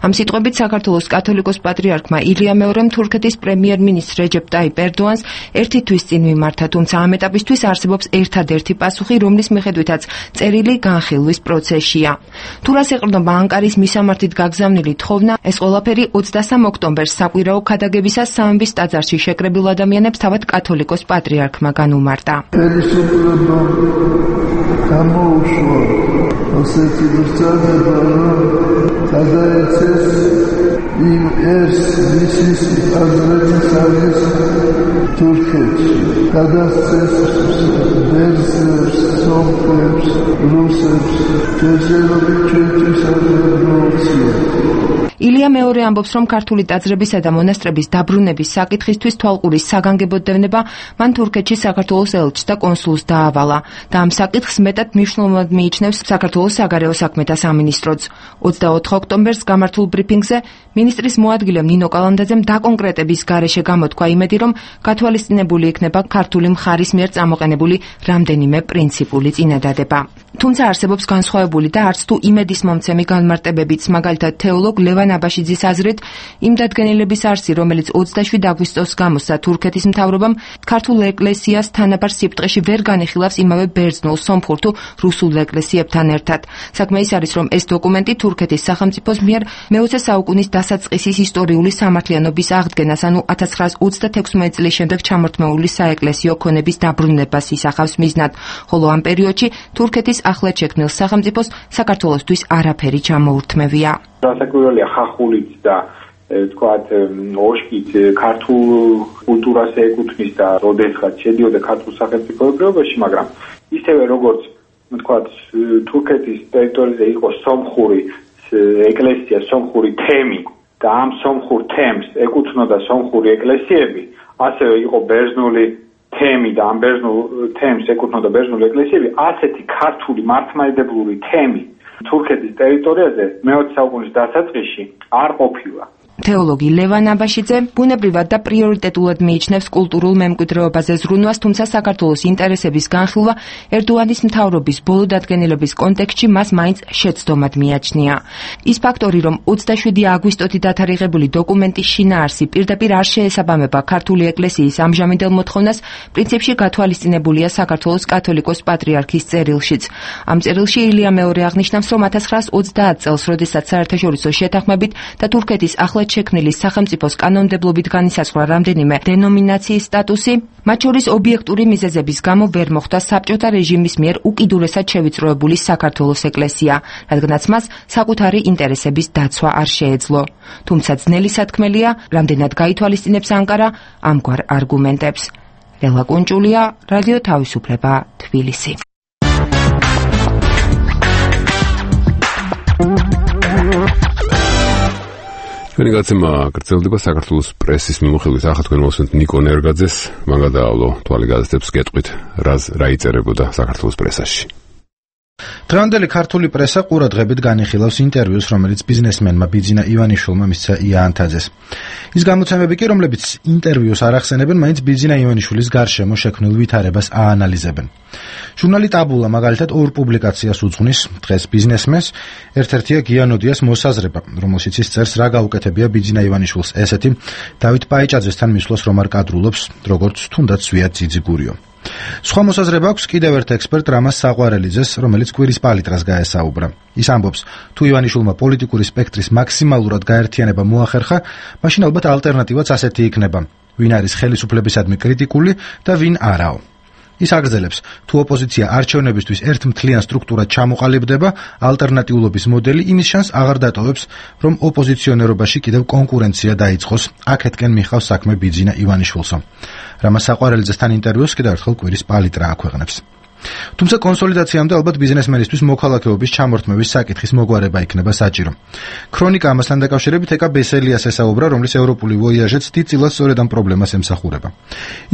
ამ სიტყვებით საქართველოს კათოლიკოს პატრიარქმა ილია მეორემ თურქეთის პრემიერ-მინისტრ რეჯეპ ტაიპ ერდოღანს ერთი თვის წინ მიმართა, თუმცა ამ ეტაპისთვის არსებობს ერთადერთი პასუხი, რომლის მიხედვითაც წერილი განხილვის პროცესშია. თუ რას ეყრდნობა ანკარის მისამართით გაგზავნილი თხოვნა, ეს ყველაფერი 23 ოქტომბერს საკვირაო ქადაგებისას სამების ტაძარში შეკრებილ ადამიანებს თავად კათოლიკოს პატრიარქმა განუმარტა. ხელისუფლება გამოუშვა ასეთი ბრძანება, რომ გადაეცეს იმ ეს მისის ტაძრების არის თურქეთში. გადასცეს ბერძნებს, სომხებს, რუსებს, ჯერჯერობით ჩვენთვის აღმოჩნდა. ილია მეორე ამბობს, რომ ქართული ტაძრებისა და მონასტრების დაბრუნების საკითხისთვის თვალყურის საგანგებოდევნება მან თურქეთში საქართველოს ელჩს და კონსულს დაავალა და ამ საკითხს მეტად მნიშვნელოვნად მიიჩნევს საქართველოს საგარეო საქმეთა სამინისტროც. 24 ოქტომბერს გამართულ ბრიფინგზე მინისტრის მოადგილემ ნინო კალანდაძემ დაკონკრეტების გარეშე გამოთქვა იმედი, რომ გათვალისწინებული იქნება ქართული მხარის მიერ წამოყენებული რამდენიმე პრინციპული წინადადება. თუმცა არსებობს განსხვავებული და არც თუ იმედის მომცემი განმარტებებიც, მაგალითად თეოლოგ ლევან აბაშიძის აზრით, იმ დადგენილების არსი, რომელიც 27 აგვისტოს გამოსცა თურქეთის მთავრობამ ქართულ ეკლესიას თანაბარ სიბრტყეში ვერ განიხილავს იმავე ბერძნულ, სომხურ თუ რუსულ ეკლესიებთან ერთად. საქმე ის არის, რომ ეს დოკუმენტი თურქეთის სახელმწიფოს მიერ მე-20 საუკუნის დასაწყისის ისტორიული სამართლიანობის აღდგენას, ანუ 1936 წლის შემდეგ ჩამორთმეული საეკლესიო ქონების დაბრუნებას ისახავს მიზნად, ხოლო ამ პერიოდში თურქეთის ახლად შექმნილ სახელმწიფოს საქართველოსთვის არაფერი ჩამოურთმევია. დასაკვირველია ხახულიც და თქვათ ოშკიც ქართულ კულტურას ეკუთვნის და როდესღაც შედიოდა ქართულ სახელმწიფოებრიობაში, მაგრამ ისევე როგორც თქვათ თურქეთის ტერიტორიაზე იყო სომხური ეკლესია, სომხური თემი და ამ სომხურ თემს ეკუთვნოდა სომხური ეკლესიები, ასევე იყო ბერძნული თემი და ამ ბერძნულ თემს ეკუთვნოდა ბერძნული ეკლესიები, ასეთი ქართული მართლმადიდებლური თემი თურქეთის ტერიტორიაზე მე-20 საუკუნის დასაწყისში არ ყოფილა. თეოლოგი ლევან აბაშიძე ბუნებრივად და პრიორიტეტულად მიიჩნევს კულტურულ მემკვიდრეობაზე ზრუნვას, თუმცა საქართველოს ინტერესების განხილვა ერდოღანის მთავრობის ბოლო დადგენილების კონტექსტში მას მაინც შეცდომად მიაჩნია. ის ფაქტორი, რომ 27 აგვისტოთი დათარიღებული დოკუმენტის შინაარსი პირდაპირ არ შეესაბამება ქართული ეკლესიის ამჟამინდელ მოთხოვნას, პრინციპში გათვალისწინებულია საქართველოს კათოლიკოს პატრიარქის წერილშიც. ამ წერილში ილია მეორე აღნიშნავს, რომ 1930 წელს, როდესაც საერთაშორისო შეთანხმებით და თურქეთის ახლად შექმნილი სახელმწიფოს კანონმდებლობით განისაზღვრა რამდენიმე დენომინაციის სტატუსი, მათ შორის ობიექტური მიზეზების გამო ვერ მოხდა საბჭოთა რეჟიმის მიერ უკიდურესად შევიწროებული საქართველოს ეკლესია, რადგანაც მას საკუთარი ინტერესების დაცვა არ შეეძლო. თუმცა ძნელი სათქმელია, რამდენად გაითვალისწინებს ანკარა ამგვარ არგუმენტებს. ლელა კუნჭულია, რადიო თავისუფლება, თბილისი. ჩვენი გაცემა გრძელდება საქართველოს პრესის მიმოხილვით. ახლა თქვენ მოსვენთ ნიკო ნერგაძეს, მან გადაავლო თვალი გადაცემს გეტყვით, რა იწერებოდა საქართველოს პრესაში. დღევანდელი ქართული პრესა ყურადღებით განიხილავს ინტერვიუს, რომელიც ბიზნესმენმა ბიძინა ივანიშვილმა მისცა იანთაძეს. ის გამოცემები კი, რომლებიც ინტერვიუს არ ახსენებენ, მაინც ბიძინა ივანიშვილის გარშემო შექმნილ ვითარებას აანალიზებენ. ჟურნალი ტაბულა მაგალითად ორ პუბლიკაციას უძღვნის დღეს ბიზნესმენს, ერთ-ერთია გიანოდიას მოსაზრება, რომელშიც ის წერს, რა გაუკეთებია ბიძინა ივანიშვილს ესეთი დავით პაიჭაძესთან მისვლას რომ არ კადრულობს, როგორც თუნდაც ზვიად ძიძიგურიო. სხვა მოსაზრება აქვს კიდევ ერთ ექსპერტ რამაზ საყვარელიძეს, რომელიც კვირის პალიტრას გაესაუბრა. ის ამბობს, თუ ივანიშვილმა პოლიტიკური სპექტრის მაქსიმალურად გაერთიანება მოახერხა, მაშინ ალბათ ალტერნატივაც ასეთი იქნება: ვინ არის ხელისუფლებისადმი კრიტიკული და ვინ არაო. ის აგრძელებს, თუ ოპოზიცია არჩევნებისთვის ერთ მთლიან სტრუქტურად ჩამოყალიბდება, ალტერნატიულობის მოდელი იმის შანსს აღარ დატოვებს, რომ ოპოზიციონერობაში კიდევ კონკურენცია დაიწყოს. აქეთკენ მიხავს საქმე ბიძინა ივანიშვილსო. რამაზ საყვარელიძესთან ინტერვიუს კიდევ ერთხელ კვირის პალიტრა აქვეყნებს. თუმცა კონსოლიდაციამდე ალბათ ბიზნესმენისთვის მოქალაქეობის ჩამორთმევის საკითხის მოგვარება იქნება საჭირო. ქრონიკა ამასთან დაკავშირებით ეკა ბესელიას ესაუბრა, რომლის ევროპული ვოიაჟეც დიდწილად სწორედ ამ პრობლემას ემსახურება.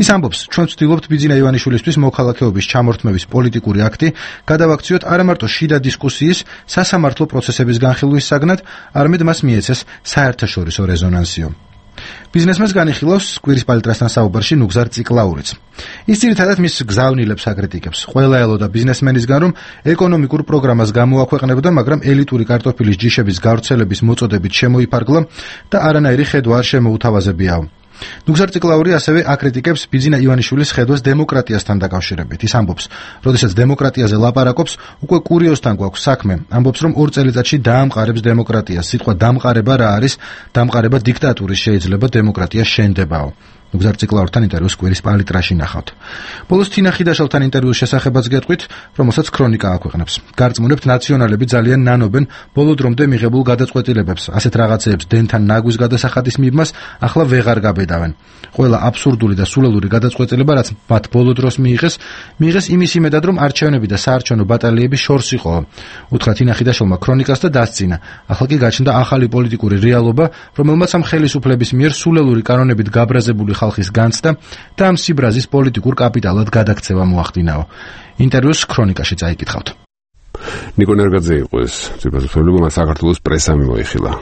ის ამბობს, ჩვენ ვცდილობთ ბიძინა ივანიშვილისთვის მოქალაქეობის ჩამორთმევის პოლიტიკური აქტი გადავაქციოთ არა მარტო შიდა დისკუსიის, სასამართლო პროცესების განხილვის საგნად, არამედ მას მიეცეს საერთაშორისო რეზონანსიო. ბიზნესმენს განიხილავს კვირის პალიტრასთან საუბარში ნუგზარ ციკლაურიც. ის ძირითადად მის გზავნილებს აკრიტიკებს. ყველა ელოდა ბიზნესმენისგან, რომ ეკონომიკურ პროგრამას გამოაქვეყნებდა, მაგრამ ელიტური კარტოფილის ჯიშების გავრცელების მოწოდებით შემოიფარგლა და არანაირი ხედვა არ შემოუთავაზებიაო. ნუგზარ ციკლაური ასევე აკრიტიკებს ბიძინა ივანიშვილის ხედვას დემოკრატიასთან დაკავშირებით. ის ამბობს, როდესაც დემოკრატიაზე ლაპარაკობს, უკვე კურიოსთან გვაქვს საქმე. ამბობს, რომ 2 წელიწადში დაამყარებს დემოკრატიას. სიტყვა დამყარება რა არის? დამყარება დიქტატურის შეიძლება, დემოკრატია შენდებაო. ნუგზარ ციკლაურთან ინტერვიუს კვირის პალიტრაში ნახავთ. ბოლოს თინა ხიდაშელთან ინტერვიუს შესახებაც გეტყვით, რომელსაც ქრონიკა აქვეყნებს. გარწმუნებთ, ნაციონალები ძალიან ნანობენ ბოლო დრომდე მიღებულ გადაწყვეტილებებს, ასეთ რაღაცეებს დენთან ნაგვის გადასახადის მიბმას ახლა ვეღარ გაბედავენ. ყველა აბსურდული და სულელური გადაწყვეტილება, რაც მათ ბოლო დროს მიიღეს იმის იმედად, რომ არჩევნები და საარჩევნო ბატალიები შორს იყო. უთხრა თინა ხიდაშელმა ქრონიკას და დასწინა. ახლა კი გაჩნდა ახალი პოლიტიკური რეალობა, რომელმაც ამ ხელისუფლების მიერ სულელური კანონებით გაბრაზებული ხალხის განცდა და ამ სიბრაზის პოლიტიკურ კაპიტალად გადაქცევა მოახდინაო. ინტერვიუს ქრონიკაში წაიკითხავთ. ნიკო ნერგაძე იყო ეს ძირფასობრივი, მას საქართველოს პრესა მიმოიხილა.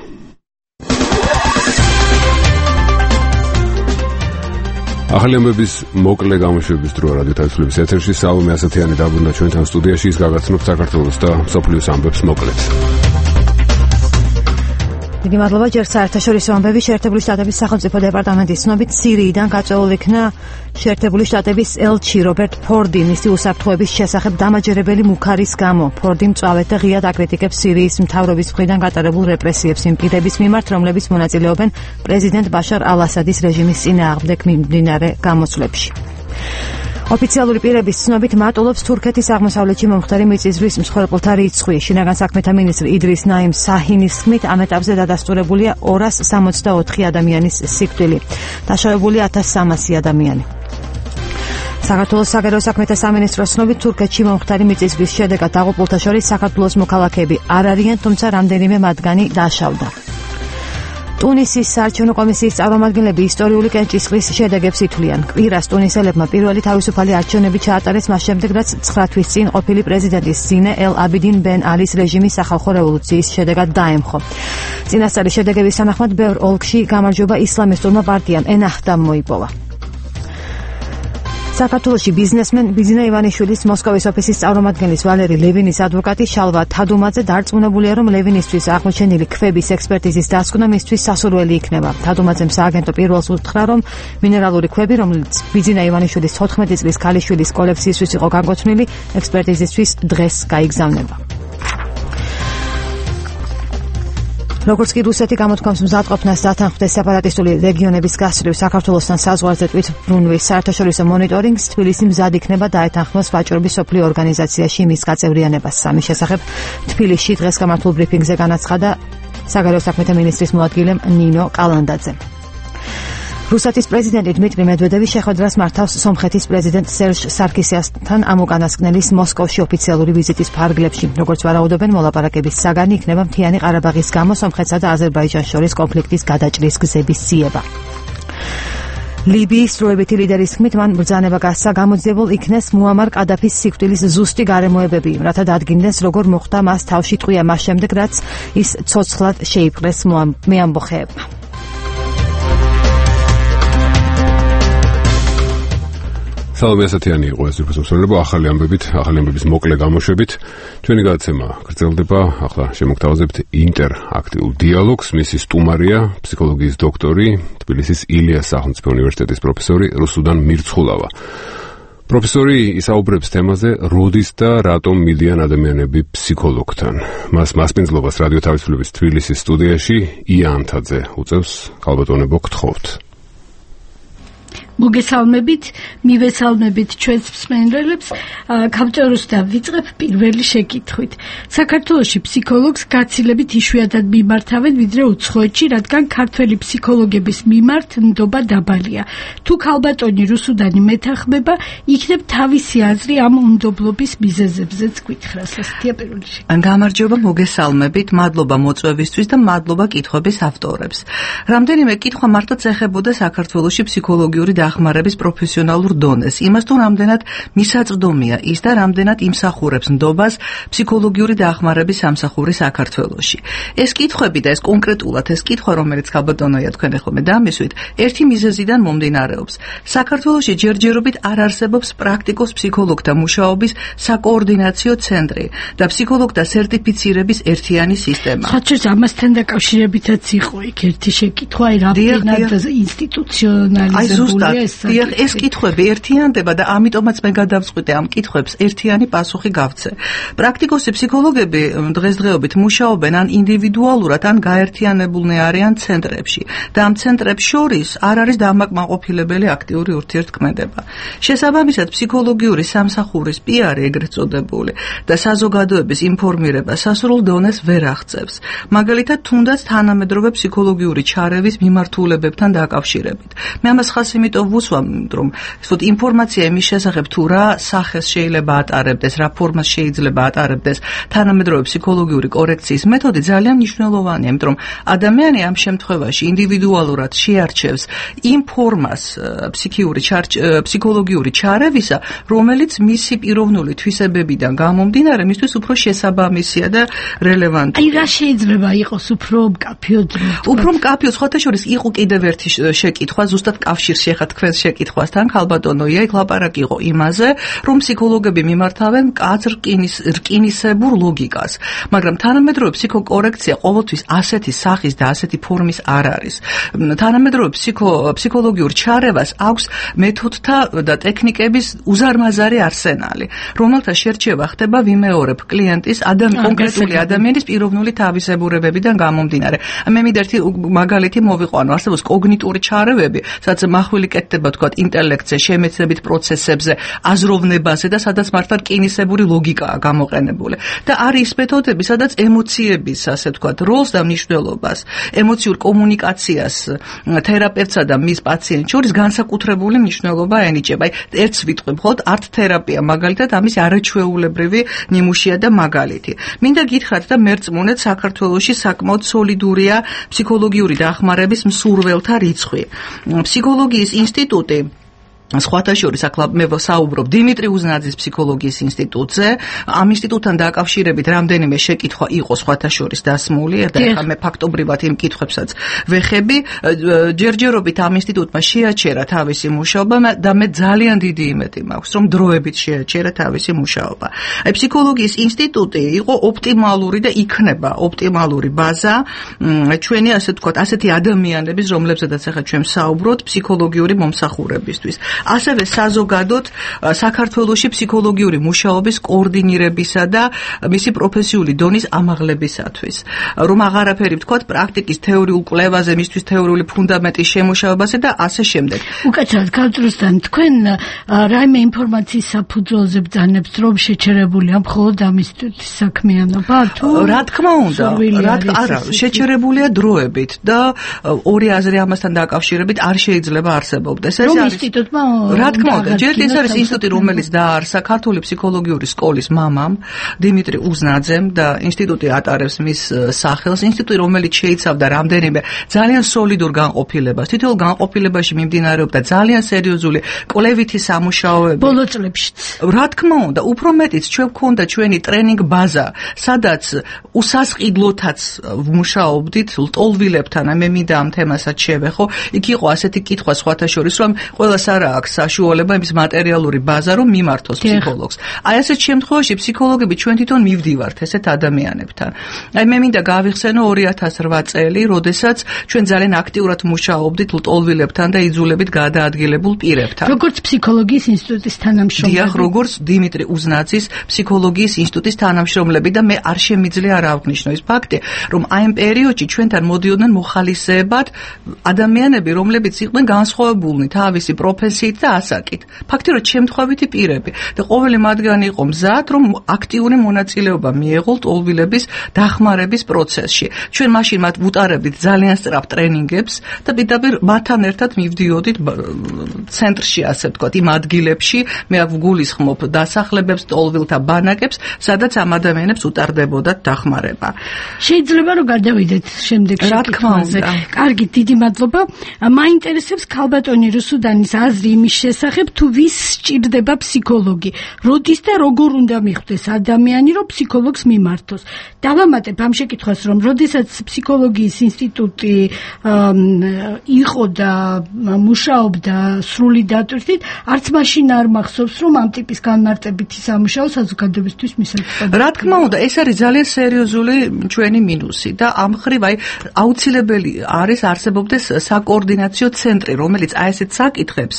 ახალი ამბების მოკლე გამოშვების დრო რადიო თავისუფლების ეთერში საუბრობთ ასეთიანი დაბრუნდა ჩვენთან სტუდიაში, ის გაგაცნობთ საქართველოს და მსოფლიოს ამბებს მოკლედ. დიდი მადლობა. ჯერ საერთაშორისო ამბები. შეერთებული შტატების სახელმწიფო დეპარტამენტის ცნობით სირიიდან გაწეული იქნა შეერთებული შტატების ელჩი რობერტ ფორდი მისი უსაფრთხოების შესახებ დამაჯერებელი მუქარის გამო. ფორდი მწვავედ და ღიად აკრიტიკებს სირიის მთავრობის მხრიდან გატარებულ რეპრესიებს იმ პირების მიმართ, რომლებიც მონაწილეობენ პრეზიდენტ ბაშარ ალ-ასადის რეჟიმის წინააღმდეგ მიმდინარე გამოსვლებში. ოფიციალური პირების ცნობით მატულობს თურქეთის აღმოსავლეთში მომხდარი მიწისძვრის მსხვერპლთა რიცხვი. შინაგან საქმეთა მინისტრი იდრის ნაიმ საჰინის თქმით, ამ ეტაპზე დადასტურებულია 264 ადამიანის სიკვდილი. დაშავებულია 1300 ადამიანი. საქართველოს საგარეო საქმეთა სამინისტროს ცნობით, თურქეთში მომხდარი მიწისძვრის შედეგად დაღუპულთა შორის საქართველოს მოქალაქეები არ არიან, თუმცა რამდენიმე მათგანი დაშავდა. ტუნისის საარჩევნო კომისიის წარმომადგენლები ისტორიული კენჭისყრის შედეგებს ითვლიან. კვირას ტუნისელებმა პირველი თავისუფალი არჩევნები ჩაატარეს მას შემდეგ, რაც 9 თვის წინ ყოფილი პრეზიდენტის ზინე ელ აბიდინ ბენ ალის რეჟიმის სახალხო რევოლუციის შედეგად დაემხო. წინასწარი შედეგების თანახმად ბევრ ოლქში გამარჯვება ისლამისტურმა პარტიამ ენაჰდამ მოიპოვა. საქართველოში ბიზნესმენ ბიძინა ივანიშვილის მოსკოვის ოფისის წარმომადგენლის ვალერი ლევინის ადვოკატი შალვა თადუმაძე დარწმუნებულია, რომ ლევინისთვის აღმოჩენილი ქვების ექსპერტიზის დასკვნა მისთვის სასურველი იქნება. თადუმაძემ სააგენტო პირველს უთხრა, რომ მინერალური ქვები, რომელიც ბიძინა ივანიშვილის 14 წლის ქალიშვილის კოლექციისთვის იყო განკუთვნილი, ექსპერტიზისთვის დღეს გაიგზავნება. როგორც კი რუსეთი გამოთქვამს მზადყოფნას დათანხმდეს სეპარატისტული რეგიონების გასწვრივ საქართველოსთან საზღვარზე თვითმბრუნვის საერთაშორისო მონიტორინგს, თბილისი მზად იქნება დაეთანხმოს ვაჭრობის სოფლიო ორგანიზაციაში მის გაწევრიანებას. სამის შესახებ თბილისში დღეს გამართულ ბრიფინგზე განაცხადა საგარეო საქმეთა მინისტრის მოადგილე ნინო კალანდაძე. რუსეთის პრეზიდენტი დმიტრი მედვედევი შეხვედრას მართავს სომხეთის პრეზიდენტ სერჟ სარკისიანთან ამ უკანასკნელის მოსკოვში ოფიციალური ვიზიტის ფარგლებში. როგორც ვარაუდობენ, მოლაპარაკების საგანი იქნება მთიანი ყარაბაღის გამო სომხეთსა და აზერბაიჯანს შორის კონფლიქტის გადაჭრის გზების ძიება. ლიბიის დროებითი ლიდერის თქმით, მან ბრძანება გასცა გამოძიებულ იქნეს მუამარ კადაფის სიკვდილის ზუსტი გარემოებები, რათა დადგინდეს როგორ მოხდა მას თავში ტყვია მას შემდეგ, რაც ის ცოცხლად შეიპყრეს მეამბოხეებმა. სალომე ასათიანი იყო ეს უფროსმსვლელობა ახალი ამბების მოკლე გამოშვებით. ჩვენი გადაცემა გრძელდება. ახლა შემოგთავაზებთ ინტერაქტიულ დიალოგს. მისი სტუმარია ფსიქოლოგიის დოქტორი, თბილისის ილიას სახელმწიფო უნივერსიტეტის პროფესორი რუსუდან მირცხულავა. პროფესორი ისაუბრებს თემაზე, როდის და რატომ მიდიან ადამიანები ფსიქოლოგთან. მას მასპინძლობას რადიო თავისუფლების თბილისის სტუდიაში ია ანთაძე უწევს. ქალბატონებო, გთხოვთ. მოგესალმებით, მივესალმებით ჩვენს მსმენელებს. გამჭროს და ვიწყებ პირველი შეკითხვით. საქართველოში ფსიქოლოგს გაცილებით იშვიათად მიმართავენ ვიდრე უცხოეთში, რადგან ქართველი ფსიქოლოგების მიმართ ნდობა დაბალია. თუ ქალბატონი რუსუდანი მეთანხმება, იქნებ თავისი აზრი ამ უნდობლობის მიზეზებზეც გითხრას. ასეთია პირველი შეკითხვა. გამარჯობა, მოგესალმებით, მადლობა მოწვევისთვის და მადლობა კითხვების ავტორებს. რამდენიმე კითხვა მარტოც ეხებოდა საქართველოში ფსიქოლოგიური დახმარების პროფესიონალურ დონეს, იმას თუ რამდენად მისაწვდომია ის და რამდენად იმსახურებს ნდობას ფსიქოლოგიური დახმარების სამსახური საქართველოში. ეს კითხვები და ეს კონკრეტულად ეს კითხვა, რომელიც ქალბატონოია თქვენ ახლა დამისვით, ერთი მიზეზიდან მომდინარეობს. საქართველოში ჯერჯერობით არ არსებობს პრაქტიკოს ფსიქოლოგთა მუშაობის საკოორდინაციო ცენტრი და ფსიქოლოგთა სერტიფიცირების ერთიანი სისტემა. ხაჩეს ამასთან დაკავშირებითაც იყო იქ ერთი შეკითხვა, რამდენად ინსტიტუციონალიზებულია. ეს კითხვები ერთიანდება და ამიტომაც მე გადავწყვიტე ამ კითხვებს ერთიანი პასუხი გავცე. პრაქტიკოსი ფსიქოლოგები დღესდღეობით მუშაობენ ან ინდივიდუალურად, ან გაერთიანებულნი არიან ცენტრებში და ამ ცენტრებს შორის არ არის დამაკმაყოფილებელი აქტიური ურთიერთქმედება. შესაბამისად, ფსიქოლოგიური სამსახურის პიარი ეგრეთ წოდებული და საზოგადოების ინფორმირება სასურველ დონეს ვერ აღწევს. მაგალითად, თუნდაც თანამედროვე ფსიქოლოგიური ჩარევის მიმართულებებთან დაკავშირებით. მე ამას ხას იმიტომ ვუსვამ, რომ ინფორმაცია იმის შესახებ თუ რა სახეს შეიძლება ატარებდეს, რა ფორმას შეიძლება ატარებდეს თანამედროვე ფსიქოლოგიური კორექციის მეთოდი ძალიან მნიშვნელოვანია, იმიტომ რომ ადამიანი ამ შემთხვევაში ინდივიდუალურად შეარჩევს იმ ფორმას ფსიქოლოგიური ჩარევისა, რომელიც მისი პიროვნული თვისებებიდან გამომდინარე მისთვის უფრო შესაბამისია და რელევანტურია. აი რა შეიძლება იყოს უფრო მკაფიო? უფრო მკაფიო, სხვათა შორის იყო კიდევ ერთი შეკითხვა, ზუსტად კავშირში ხა თქვენს შეკითხვასთან, ქალბატონოია, იქ ლაპარაკი იყო იმაზე, რომ ფსიქოლოგები მიმართავენ მკაცრ რკინისებურ ლოგიკას, მაგრამ თანამედროვე ფსიქოკორექცია ყოველთვის ასეთი სახის და ასეთი ფორმის არ არის. თანამედროვე ფსიქოლოგიურ ჩარევას აქვს მეთოდთა და ტექნიკების უზარმაზარი არსენალი, რომელთა შერჩევა ხდება ვიმეორებ კლიენტის კონკრეტული ადამიანის პიროვნული თავისებურებებიდან გამომდინარე. მე მინდა ერთი მაგალითი მოვიყვანო, არსებობს კოგნიტური ჩარევები, სადაც მახვილი კეთდება თქვა ინტელექტზე, შემეცნებით პროცესებზე, აზროვნებაზე და სადაც მართლა რკინისებური ლოგიკაა გამოყენებული. და არის მეთოდები, სადაც ემოციების, ასე ვთქვათ, როლს და მნიშვნელობას, ემოციურ კომუნიკაციას თერაპევტსა და მის პაციენტს შორის განსაკუთრებული მნიშვნელობა ენიჭება. ერთს ვიტყვი, მხოლოდ არტ თერაპია მაგალითად ამის არაჩვეულებრივი ნიმუშია და მაგალითი. მინდა გითხრათ და მერწმუნეთ, საქართველოში საკმაოდ სოლიდურია ფსიქოლოგიური დახმარების მსურველთა რიცხვი. ფსიქოლოგიის ინსტიტუტი სხვათა შორის ახლა მე საუბრობ დიმიტრი უზნაძის ფსიქოლოგიის ინსტიტუტზე. ამ ინსტიტუტთან დაკავშირებით რამდენიმე შეკითხვა იყო სხვათა შორის დასმული და ახლა მე ფაქტობრივად იმ კითხვებსაც ვეხები. ჯერჯერობით ამ ინსტიტუტმა შეაჩერა თავისი მუშაობა და მე ძალიან დიდი იმედი მაქვს, რომ დროებით შეაჩერა თავისი მუშაობა. აი ფსიქოლოგიის ინსტიტუტი იყო ოპტიმალური და იქნება ოპტიმალური ბაზა ჩვენი, ასე ვთქვათ, ასეთი ადამიანების, რომლებზედაც ახლა ჩვენ საუბრობთ, ფსიქოლოგიური მომსახურებისთვის. ასევე საზოგადოდ საქართველოში ფსიქოლოგიური მუშაობის კოორდინირებისა და მისი პროფესიული დონის ამაღლებისათვის. რომ აღარაფერი ვთქვათ პრაქტიკის თეორიულ კვლევაზე, მისთვის თეორიული ფუნდამენტის შემუშავებაზე და ასე შემდეგ. უკაცრავად გამჭროსთან თქვენ რაიმე ინფორმაციის საფუძველზე ბრძანებთ, რომ შეჩერებულია მხოლოდ ამ ინსტიტუტის საქმიანობა? თუ რა თქმა უნდა, არა, შეჩერებულია დროებით და ორი აზრი ამასთან დაკავშირებით არ შეიძლება არსებობდეს. ეს არის ინსტიტუტმა რა თქმა უნდა, ჯერ ეს არის ინსტიტუტი, რომელიც დააარსა ქართული ფსიქოლოგიური სკოლის მამამ, დიმიტრი უზნაძემ და ინსტიტუტი ატარებს მის სახელს. ინსტიტუტი, რომელიც შეიცავდა რამდენიმე ძალიან სოლიდურ განყოფილებას. თითოეულ განყოფილებაში მიმდინარეობდა ძალიან სერიოზული კვლევითი სამუშაოები. ბოლო წლებშიც. რა თქმა უნდა, უფრო მეტიც ჩვენ გვქონდა ჩვენი ტრენინგ ბაზა, სადაც უსასყიდლოთაც ვმუშაობდით ლტოლვილებთან, მე მინდა ამ თემასაც შევეხო. იქ იყო ასეთი კითხვა სხვათა შორის, რომ ყველას არ აქვს საშუალება იმის მატერიალური ბაზა, რომ მიმართოს ფსიქოლოგს. აი ასეთ შემთხვევაში ფსიქოლოგები ჩვენ თვითონ მივდივართ ესეთ ადამიანებთან. აი მე მინდა გავიხსენო 2008 წელი, როდესაც ჩვენ ძალიან აქტიურად მუშაობდით ლტოლვილებთან და იძულებით გადაადგილებულ პირებთან. როგორც ფსიქოლოგიის ინსტიტუტის თანამშრომლები. დიახ, როგორც დიმიტრი უზნაძის ფსიქოლოგიის ინსტიტუტის თანამშრომლები და მე არ შემიძლია არ ავღნიშნო ის ფაქტი, რომ აი ამ პერიოდში ჩვენთან მოდიოდნენ მოხალისეებად ადამიანები, რომლებიც იყვნენ განსხვავებულნი თავისი პროფესიით და ასაკით. ფაქტიურად შემთხვევითი პირები და ყოველი მათგანი იყო მზად, რომ აქტიური მონაწილეობა მიეღო ლტოლვილების დახმარების პროცესში. ჩვენ მაშინ მათ ვუტარებდით ძალიან სწრაფ ტრენინგებს და პირდაპირ მათთან ერთად მივდიოდით ცენტრში, ასე ვთქვათ, იმ ადგილებში, მე აქ ვგულისხმობ დასახლებებს, ლტოლვილთა ბანაკებს, სადაც ამ ადამიანებს უტარდებოდათ დახმარება. შეიძლება რომ გადავიდეთ შემდეგ შეკითხვაზე. კარგი, დიდი მადლობა. მაინტერესებს ქალბატონი რუსუდანის აზრი იმის შესახებ, თუ ვის სჭირდება ფსიქოლოგი, როდის და როგორ უნდა მიხვდეს ადამიანი, რომ ფსიქოლოგს მიმართოს. დავამატებ ამ შეკითხვას, რომ როდესაც ფსიქოლოგიის ინსტიტუტი იყო და მუშაობდა სრული დატვირთვით, არც მაშინ არ მახსოვს, რომ ამ ტიპის განმარტებითი სამუშაო საზოგადოებისთვის მისაღწევია. რა თქმა უნდა, ეს არის ძალიან სერიოზული ჩვენი მინუსი და ამ ხრივ აი აუცილებელი არის არსებობდეს საკოორდინაციო ცენტრი, რომელიც აი ესეთ საკითხებს,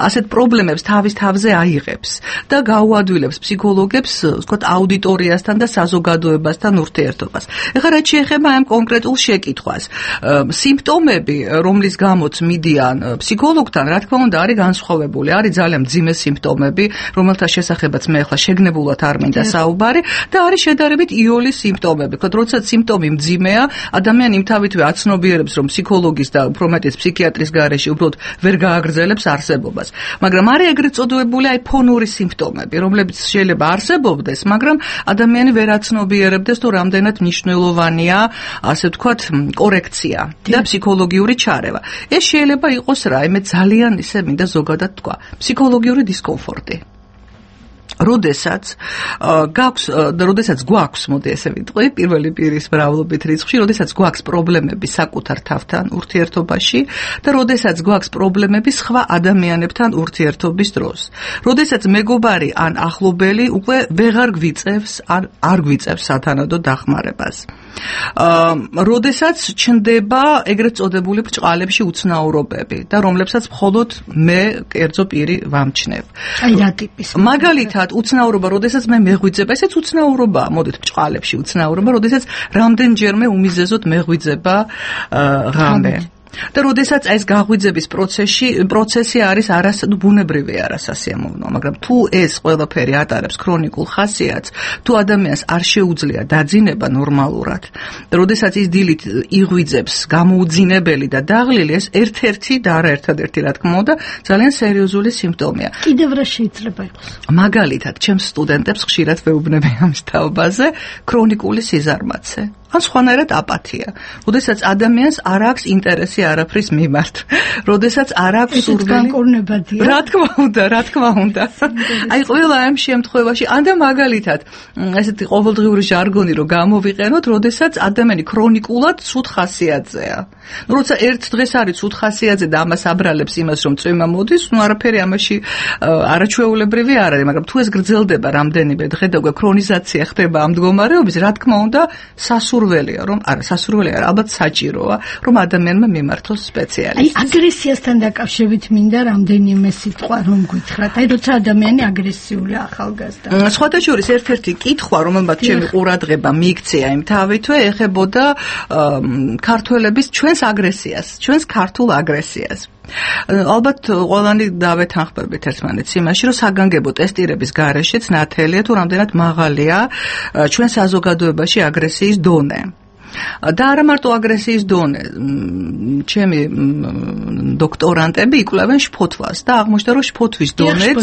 ასეთ პრობლემებს თავის თავზე აიღებს და გაუადვილებს ფსიქოლოგებს, ვთქვათ, აუდიტორიასთან და საზოგადოებასთან ურთიერთობას. ეხლა რაც შეეხება ამ კონკრეტულ შეკითხვას, სიმპტომები, რომლის გამოც მიდიან ფსიქოლოგთან, რა თქმა უნდა, არის განსხვავებული. არის ძალიან მძიმე სიმპტომები, რომელთა შესახებაც მე ახლა შეგნებულად არ მინდა საუბარი და არის შედარებით იოლის სიმპტომები. ვთქვათ, როდესაც სიმპტომი მძიმეა, ადამიანი იმთავითვე აცნობიერებს, რომ ფსიქოლოგის და უფრო მეტიც ფსიქიატრის გარეშე უბრალოდ ვერ გააგრძელებს არსებობას. მაგრამ არის ეგრეთ წოდებული აი ფონური სიმპტომები, რომლებიც შეიძლება არსებობდეს, მაგრამ ადამიანი ვერ აცნობიერებდეს, თუ რამდენად მნიშვნელოვანია, ასე ვთქვათ, კორექცია და ფსიქოლოგიური ჩარევა. ეს შეიძლება იყოს რაიმე ძალიან ისე მინდა ზოგადად თქვა, ფსიქოლოგიური დისკომფორტი. როდესაც გვაქვს, მოდი ესე ვიტყვი, პირველი პირის მრავლობით რიცხვში, როდესაც გვაქვს პრობლემები საკუთარ თავთან ურთიერთობაში და როდესაც გვაქვს პრობლემები სხვა ადამიანებთან ურთიერთობის დროს. როდესაც მეგობარი ან ახლობელი უკვე ვეღარ გვიწევს, არ გვიწევს სათანადო დახმარებას. როდესაც ჩნდება ეგრეთ წოდებული ბრჭყალებში უცნაურობები და რომლებსაც მხოლოდ მე კერძო პირი ვამჩნევ. აი რა ტიპის? მაგალითად, უცნაურობა, როდესაც მე მეღვიძება, ესეც უცნაურობაა, მოდით ბრჭყალებში უცნაურობა, როდესაც რამდენჯერმე უმიზეზოდ მეღვიძება ღამე. და როდესაც ეს გაღვიძების პროცესი არის ბუნებრივი არასასიამოვნო, მაგრამ თუ ეს ყველაფერი ატარებს ქრონიკულ ხასიათს, თუ ადამიანს არ შეუძლია დაძინება ნორმალურად, და როდესაც ის დილით იღვიძებს გამოუძინებელი და დაღლილი, ეს ერთ-ერთი და არა ერთადერთი, რა თქმა უნდა, ძალიან სერიოზული სიმპტომია. კიდევ რა შეიძლება იყოს? მაგალითად, ჩემს სტუდენტებს ხშირად ვეუბნები ამ თაობაზე, ქრონიკული სიზარმაცე. ან სხვანაირად აპათია. როდესაც ადამიანს არ აქვს ინტერესი არაფრის მიმართ. როდესაც არ აქვს სურვილი. განკურნებადია. რა თქმა უნდა. აი ყველა ამ შემთხვევაში, ან და მაგალითად, ესეთი ყოველდღიური ჟარგონი რო გამოვიყენოთ, როდესაც ადამიანი ქრონიკულად ცუდ ხასიათზეა. როცა ერთ დღეს არის ცუდ ხასიათზე და ამას აბრალებს იმას, რომ წვიმა მოდის, არაფერი ამაში არაჩვეულებრივი არ არის, მაგრამ თუ ეს გრძელდება რამდენიმე დღე და უკვე ქრონიზაცია ხდება ამ მდგომარეობის, რა თქმა უნდა, სასურველია, ალბათ საჭიროა, რომ ადამიანმა მიმართოს სპეციალისტს. აი აგრესიასთან დაკავშირებით მინდა რამდენიმე სიტყვა რომ გითხრათ. აი როცა ადამიანი აგრესიულია ახალგაზრდა. სხვათა შორის ერთ-ერთი კითხვა, რომელმაც ჩემი ყურადღება მიიქცია იმ თავითვე, ეხებოდა ქართველების ჩვენს აგრესიას, ჩვენს ქართულ აგრესიას. ალბათ ყველანი დავეთანხმებით ერთმანეთს იმაში, რომ საგანგებო ტესტირების გარეშეც ნათელია თუ რამდენად მაღალია ჩვენ საზოგადოებაში აგრესიის დონე. და არა მარტო აგრესიის დონე. ჩემი დოქტორანტები იკვლევენ შფოთვას და აღმოჩნდა, რომ შფოთვის დონეც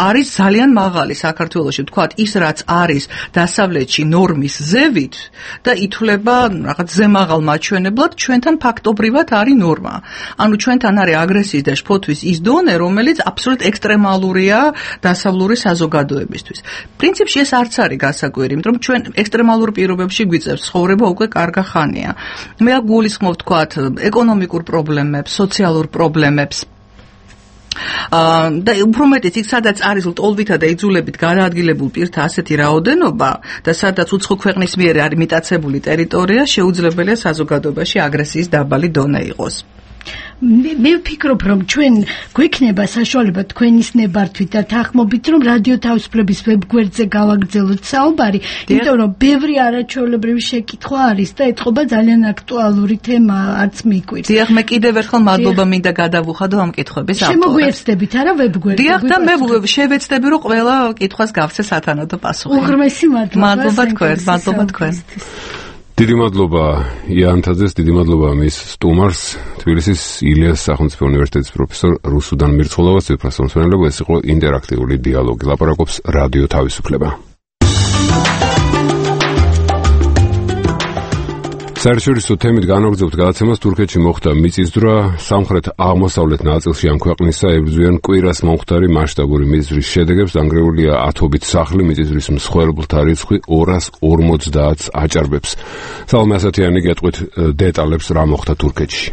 არის ძალიან მაღალი საქართველოში. ვთქვათ, ის რაც არის დასავლეთში ნორმის ზევით და ითვლება რაღაც ზემაღალ მაჩვენებლად, ჩვენთან ფაქტობრივად არის ნორმა. ანუ ჩვენთან არის აგრესიის და შფოთვის ის დონე, რომელიც აბსოლუტურად ექსტრემალურია დასავლური საზოგადოებისთვის. პრინციპში ეს არც არის გასაკვირი, იმიტომ რომ ჩვენ ექსტრემალურ პირობებში გვიწევს ცხოვრება უკვე კარგა ხანია. მე გულისხმობ თქვათ ეკონომიკურ პრობლემებს, სოციალურ პრობლემებს. და უფრო მეტიც იქ სადაც არის ლტოლვითა და იძულებით გადაადგილებულ პირთა ასეთი რაოდენობა და სადაც უცხო ქვეყნის მიერ არის მიტაცებული ტერიტორია, შეუძლებელია საზოგადოებაში აგრესიის დაბალი დონე იყოს. მე ვფიქრობ, რომ ჩვენ გვექნება საშუალება თქვენის ნებართვით და თანხმობით, რომ რადიო თავისუფლების ვებგვერდზე გავაგრძელოთ საუბარი, იმიტომ რომ ბევრი არაჩვეულებრივი შეკითხვა არის და ეთყობა ძალიან აქტუალური თემა, არც მიკვირს. დიახ, მე კიდევ ერთხელ მადლობა მინდა გადავუხადო ამ კითხვების ავტორებს. შემოგვიეცდებით არა ვებგვერდზე? დიახ, და მე შევეცდები, რომ ყველა კითხვას გავცე სათანადო პასუხი. უღრმესი მადლობა თქვენ. დიდი მადლობა იანთაძეს, დიდი მადლობა მის სტუმარს, თბილისის ილიას სახელმწიფო უნივერსიტეტის პროფესორ რუსუდან მირცხულოვას, ციფრასა მსმენელობა. ეს იყო ინტერაქტიული დიალოგი. ლაპარაკობს რადიო თავისუფლება. საერთაშორისო თემით განაგრძობთ გადაცემას. თურქეთში მოხდა მიწისძვრა. სამხრეთ-აღმოსავლეთ ნაწილში ამ ქვეყნისა ებრძვიან კვირას მომხდარი მასშტაბური მიწისძვრის შედეგებს. დანგრეულია ათობით სახლი, მიწისძვრის მსხვერპლთა რიცხვი 250-ს აჭარბებს. სალომე ასათიანი გეტყვით დეტალებს, რა მოხდა თურქეთში.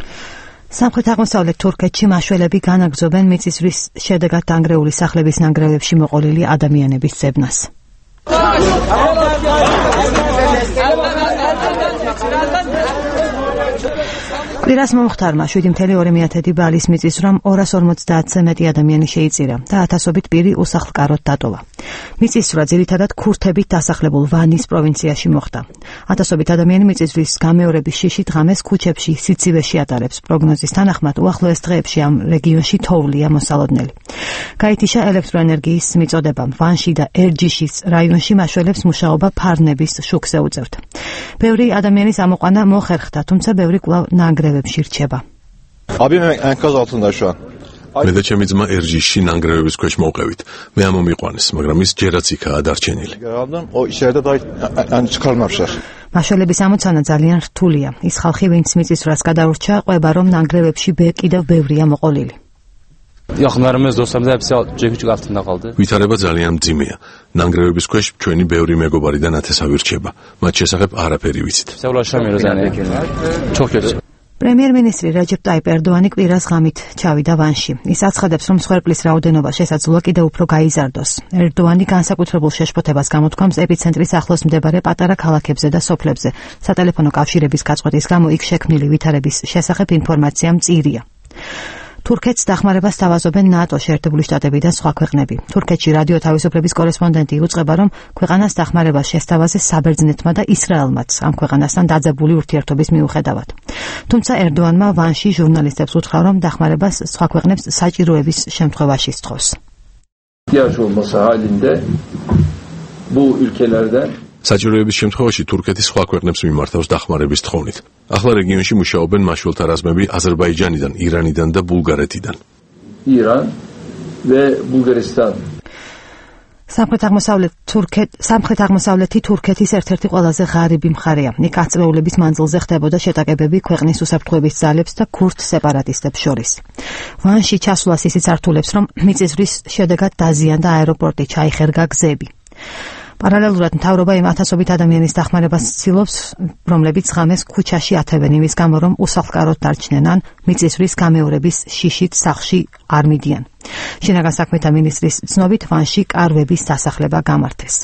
სამხრეთ-აღმოსავლეთ თურქეთში მაშველები განაგრძობენ მიწისძვრის შედეგად დანგრეული სახლების ნანგრევებში მოყოლილი ადამიანების ძებნას. კვირას მომხდარმა 7.2 ბალის მიწისძვრამ 250-ზე მეტი ადამიანი შეიწირა და ათასობით პირი უსახლკაროდ დატოვა. მიწისძვრა ძირითადად ქურთებით დასახლებულ ვანის პროვინციაში მოხდა. ათასობით ადამიანი მიწისძვრის გამეორების შიშით ღამეს ქუჩებში სიცივეში ატარებს. პროგნოზის თანახმად უახლოეს დღეებში ამ რეგიონში თოვლია მოსალოდნელი. გაითიშა ელექტროენერგიის მიწოდება. ვანში და ერჯიშის რაიონში მაშველებს მუშაობა ფარნების შუქს ეუწევთ. ბევრი ადამიანის ამოყვანა მოხერხდა, თუმცა ბევრი კვლავ ნანგრევებში რჩება. მე და ჩემი ძმა ერჯიში ნანგრევების ქვეშ მოვყევით. მე ამომიყვანეს, მაგრამ ის ჯერაც იქაა დარჩენილი. მაშველების ამოცანა ძალიან რთულია. ის ხალხი, ვინც მიწისძვრას გადაურჩა, ყვება, რომ ნანგრევებში კიდევ ბევრია მოყოლილი. ვითარება ძალიან მძიმეა. ნანგრევების ქვეშ ჩვენი ბევრი მეგობარი და ნათესავი რჩება. მათ შესახებ არაფერი ვიცით. პრემიერ-მინისტრი რეჯეპ ტაიპ ერდოანი კვირას ღამით ჩავიდა ვანში. ის აცხადებს, რომ მსხვერპლის რაოდენობა შესაძლოა კიდევ უფრო გაიზარდოს. ერდოანი განსაკუთრებულ შეშფოთებას გამოთქვამს ეპიცენტრის ახლოს მდებარე პატარა ქალაქებზე და სოფლებზე. სატელეფონო კავშირების გაწყვეტის გამო იქ შექმნილი ვითარების შესახებ ინფორმაცია მწირია. თურქეთს დახმარებას სთავაზობენ ნატო, შეერთებული შტატები და სხვა ქვეყნები. თურქეთში რადიო თავისუფლების კორესპონდენტი უწყება, რომ ქვეყანას დახმარებას შესთავაზეს საბერძნეთმა და ისრაელმაც ამ ქვეყანასთან დაძაბული ურთიერთობის მიუხედავად. თუმცა ერდოანმა ვანში ჟურნალისტებს უთხრა, რომ დახმარებას სხვა ქვეყნებს საჭიროების შემთხვევაში სთხოვს. საჭიროების შემთხვევაში თურქეთი სხვა ქვეყნებს მიმართავს დახმარების თხოვნით. ახლა რეგიონში მუშაობენ მაშველთა რაზმები აზერბაიჯანიდან, ირანიდან და ბულგარეთიდან. სამხრეთ-აღმოსავლეთი თურქეთის ერთ-ერთი ყველაზე ღარიბი მხარეა. იქ ათწლეულების მანძილზე ხდებოდა შეტაკებები ქვეყნის უსაფრთხოების ძალებს და ქურთ სეპარატისტებს შორის. ვანში ჩასვლას ისიც ართულებს, რომ მიწისძვრის შედეგად დაზიანდა აეროპორტი, ჩაიხერგა გზები. პარალელურად მთავრობა იმ ათასობით ადამიანის დახმარებას ცდილობს, რომლებიც ღამეს ქუჩაში ათევენ იმის გამო, რომ უსახლკაროდ დარჩნენ ან მიწისძვრის გამეორების შიშით სახლში არ მიდიან. შინაგან საქმეთა მინისტრის ცნობით ვანში კარვების დასახლება გამართეს.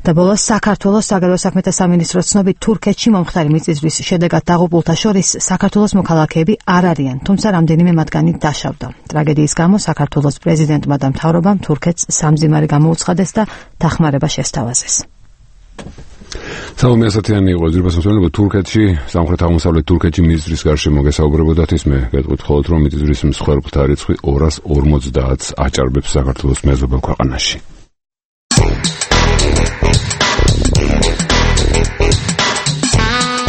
და ბოლოს საქართველოს საგარეო საქმეთა სამინისტროს ცნობით თურქეთში მომხდარი მიწისძვრის შედეგად დაღუპულთა შორის საქართველოს მოქალაქეები არ არიან, თუმცა რამდენიმე მათგანი დაშავდა. ტრაგედიის გამო საქართველოს პრეზიდენტმა და მთავრობამ თურქეთს სამძიმარი გამოუცხადეს და დახმარება შესთავაზეს. სალომე ასათიანი იყო ძირფას მსმენელობა. თურქეთში, სამხრეთ-აღმოსავლეთ თურქეთში მიწისძვრის გარშემო გესაუბრებოდათ. ის მე გეტყვით მხოლოდ, რომ მიწისძვრის მსხვერპლთა რიცხვი 250-ს აჭარბებს საქართველოს მეზობელ ქვეყანაში.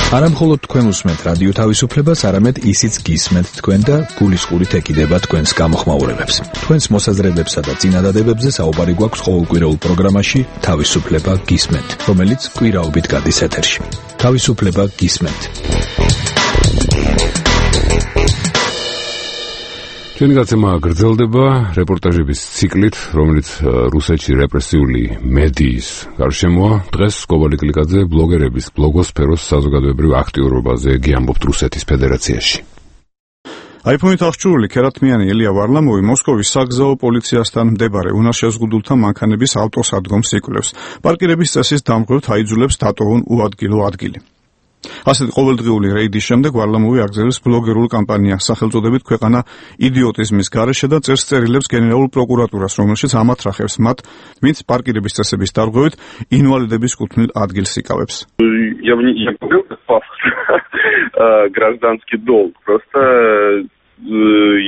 არა მხოლოდ თქვენ უსმენთ რადიო თავისუფლებას, არამედ ისიც გისმენთ თქვენ და გულისყურით ეკიდება თქვენს გამოხმაურებებს. თქვენს მოსაზრებებსა და წინადადებებზე საუბარი გვაქვს ყოველკვირეულ პროგრამაში თავისუფლება გისმენთ, რომელიც კვირაობით გადის ეთერში. თავისუფლება გისმენთ. ჩვენი გაცემა გრძელდება რეპორტაჟების ციკლით, რომელიც რუსეთში რეპრესიული მედიის გარშემოა. დღეს გოგოლი კლიკაძე ბლოგერების ბლოგოსფეროს საზოგადოებრივ აქტიურობაზე გიამბობთ რუსეთის ფედერაციაში. აიფონით აღჭურვილი ქერათმიანი ელია ვარლამოვი მოსკოვის საგზაო პოლიციასთან მდებარე უნარშეზღუდულთა მანქანების ავტოსადგომს იკვლევს. პარკირების წესის დამღვრევთ აიძულებს დატოვონ უადგილო ადგილი. ასეთი ყოველდღიური რეიდის შემდეგ ვარლამოვი აგრძელებს ბლოგერულ კამპანიას სახელწოდებით ქვეყანა იდიოტიზმის გარეშე და წერს წერილებს გენერალურ პროკურატურას, რომელშიც ამათრახებს მათ, ვინც პარკირების წესების დარღვევით ინვალიდების კუთვნილ ადგილს იკავებს. Я бы не говорил как пафосно, гражданский долг, просто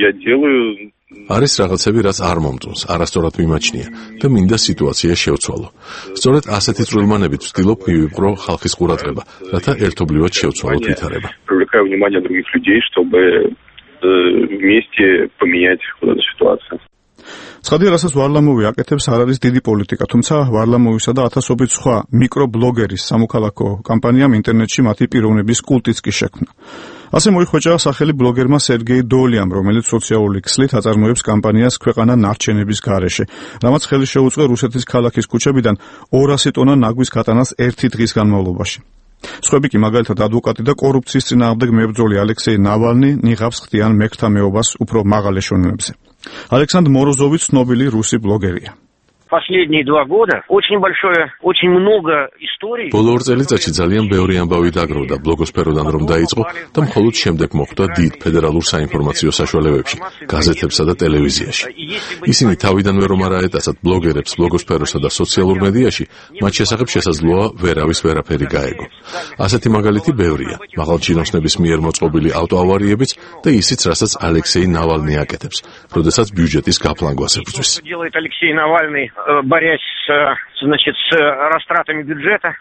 я делаю... არის რაღაცები, რაც არ მომწონს, არასწორად მიმაჩნია და მინდა სიტუაცია შევცვალო. სწორედ ასეთი წვრილმანებით ვცდილობ მივიპყრო ხალხის ყურადღება, რათა ერთობლივად შევცვალოთ ვითარება. Привлекаю внимание других людей, чтобы вместе поменять вот эту ситуацию. ცხადია, რასაც ვარლამოვი აკეთებს, არ არის დიდი პოლიტიკა, თუმცა ვარლამოვისა და ათასობით სხვა მიკრობლოგერის სამოქალაქო კამპანიამ ინტერნეტში მათი პიროვნების კულტიც კი შექმნა. ასე მოიხვეჭა სახელი ბლოგერმა სერგეი დოლიამ, რომელიც სოციალური ქსლით აწარმოებს კამპანიას ქვეყანა ნარჩენების გარეშე, რამაც ხელი შეუწყო რუსეთის ქალაქის ქუჩებიდან 200 ტონა ნაგვის გატანას ერთი დღის განმავლობაში. სხვები კი მაგალითად ადვოკატი და კორუფციის წინააღმდეგ მებრძოლი ალექსეი ნავალნი ნიღაბს ხდიან მეკთა მეობას უფრო მაღალ ეშელონებზე. ალექსანდრ მოროზოვი ცნობილი რუსი ბლოგერია. Последние 2 года очень много историй. ბოლო 2 წელიწადში ძალიან ბევრი ამბავი დაგროვდა ბლოგოსფეროდან რომ დაიწყო და მხოლოდ შემდეგ მოხვდა დიდ ფედერალურ საინფორმაციო საშუალებებში, გაზეთებსა და ტელევიზიაში. ისინი თავიდანვე რომ არ აეტაცათ ბლოგერებს ბლოგოსფეროსა და სოციალურ მედიაში, მათ შესახებ შესაძლოა ვერავის ვერაფერი გაეგო. ასეთი მაგალითი ბევრია, მაღალჩინოსნების მიერ მოწყობილი ავტოავარიებიც და ისიც, რასაც ალექსეი ნავალნი აკეთებს, როდესაც ბიუჯეტის გაფლანგვას ებრძვის. борясь с растратами бюджета.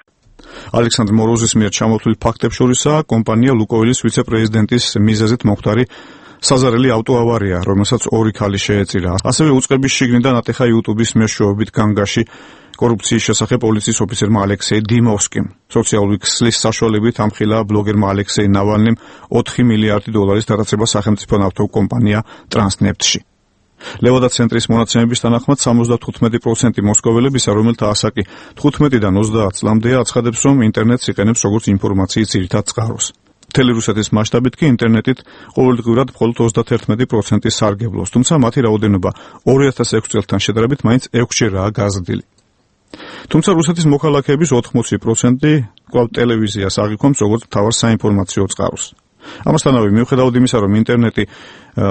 ალექსანდრ მოროზის მიერ ჩამოთვლილ ფაქტებს შორისაა კომპანია ლუკოილის ვიცე-პრეზიდენტის მიზეზით მოხდარი საზარელი ავტოავარია, რომელსაც 2 ქალი შეეწირა. ასევე უწყების შიგნიდან ატეხა YouTube-ის მეშვეობით განგაში კორუფციის შესახებ პოლიციის ოფიცერმა ალექსეი დიმოვსკიმ. სოციალური ქსლის საშუალებით ამხილა ბლოგერმა ალექსეი ნავალნიმ 4 მილიარდი დოლარის დარწება სახელმწიფო ნავთობკომპანია ტრანსნეფტში. ლევადა ცენტრის მონაცემების თანახმად 75% მოსკოველებისა, რომელთა ასაკი 15-დან 30 წლამდეა, აცხადებს, რომ ინტერნეტს იყენებს როგორც ინფორმაციის ძირითად წყაროს. მთელი რუსეთის მასშტაბით კი ინტერნეტით ყოველდღიურად მხოლოდ 31% სარგებლობს, თუმცა მათი რაოდენობა 2006 წელთან შედარებით მაინც 6-ჯერაა გაზრდილი. თუმცა რუსეთის მოქალაქეების 80% კვლავ ტელევიზიას აღიქვამს როგორც მთავარ საინფორმაციო წყაროს. ამასთანავე მიუხედავად იმისა, რომ ინტერნეტი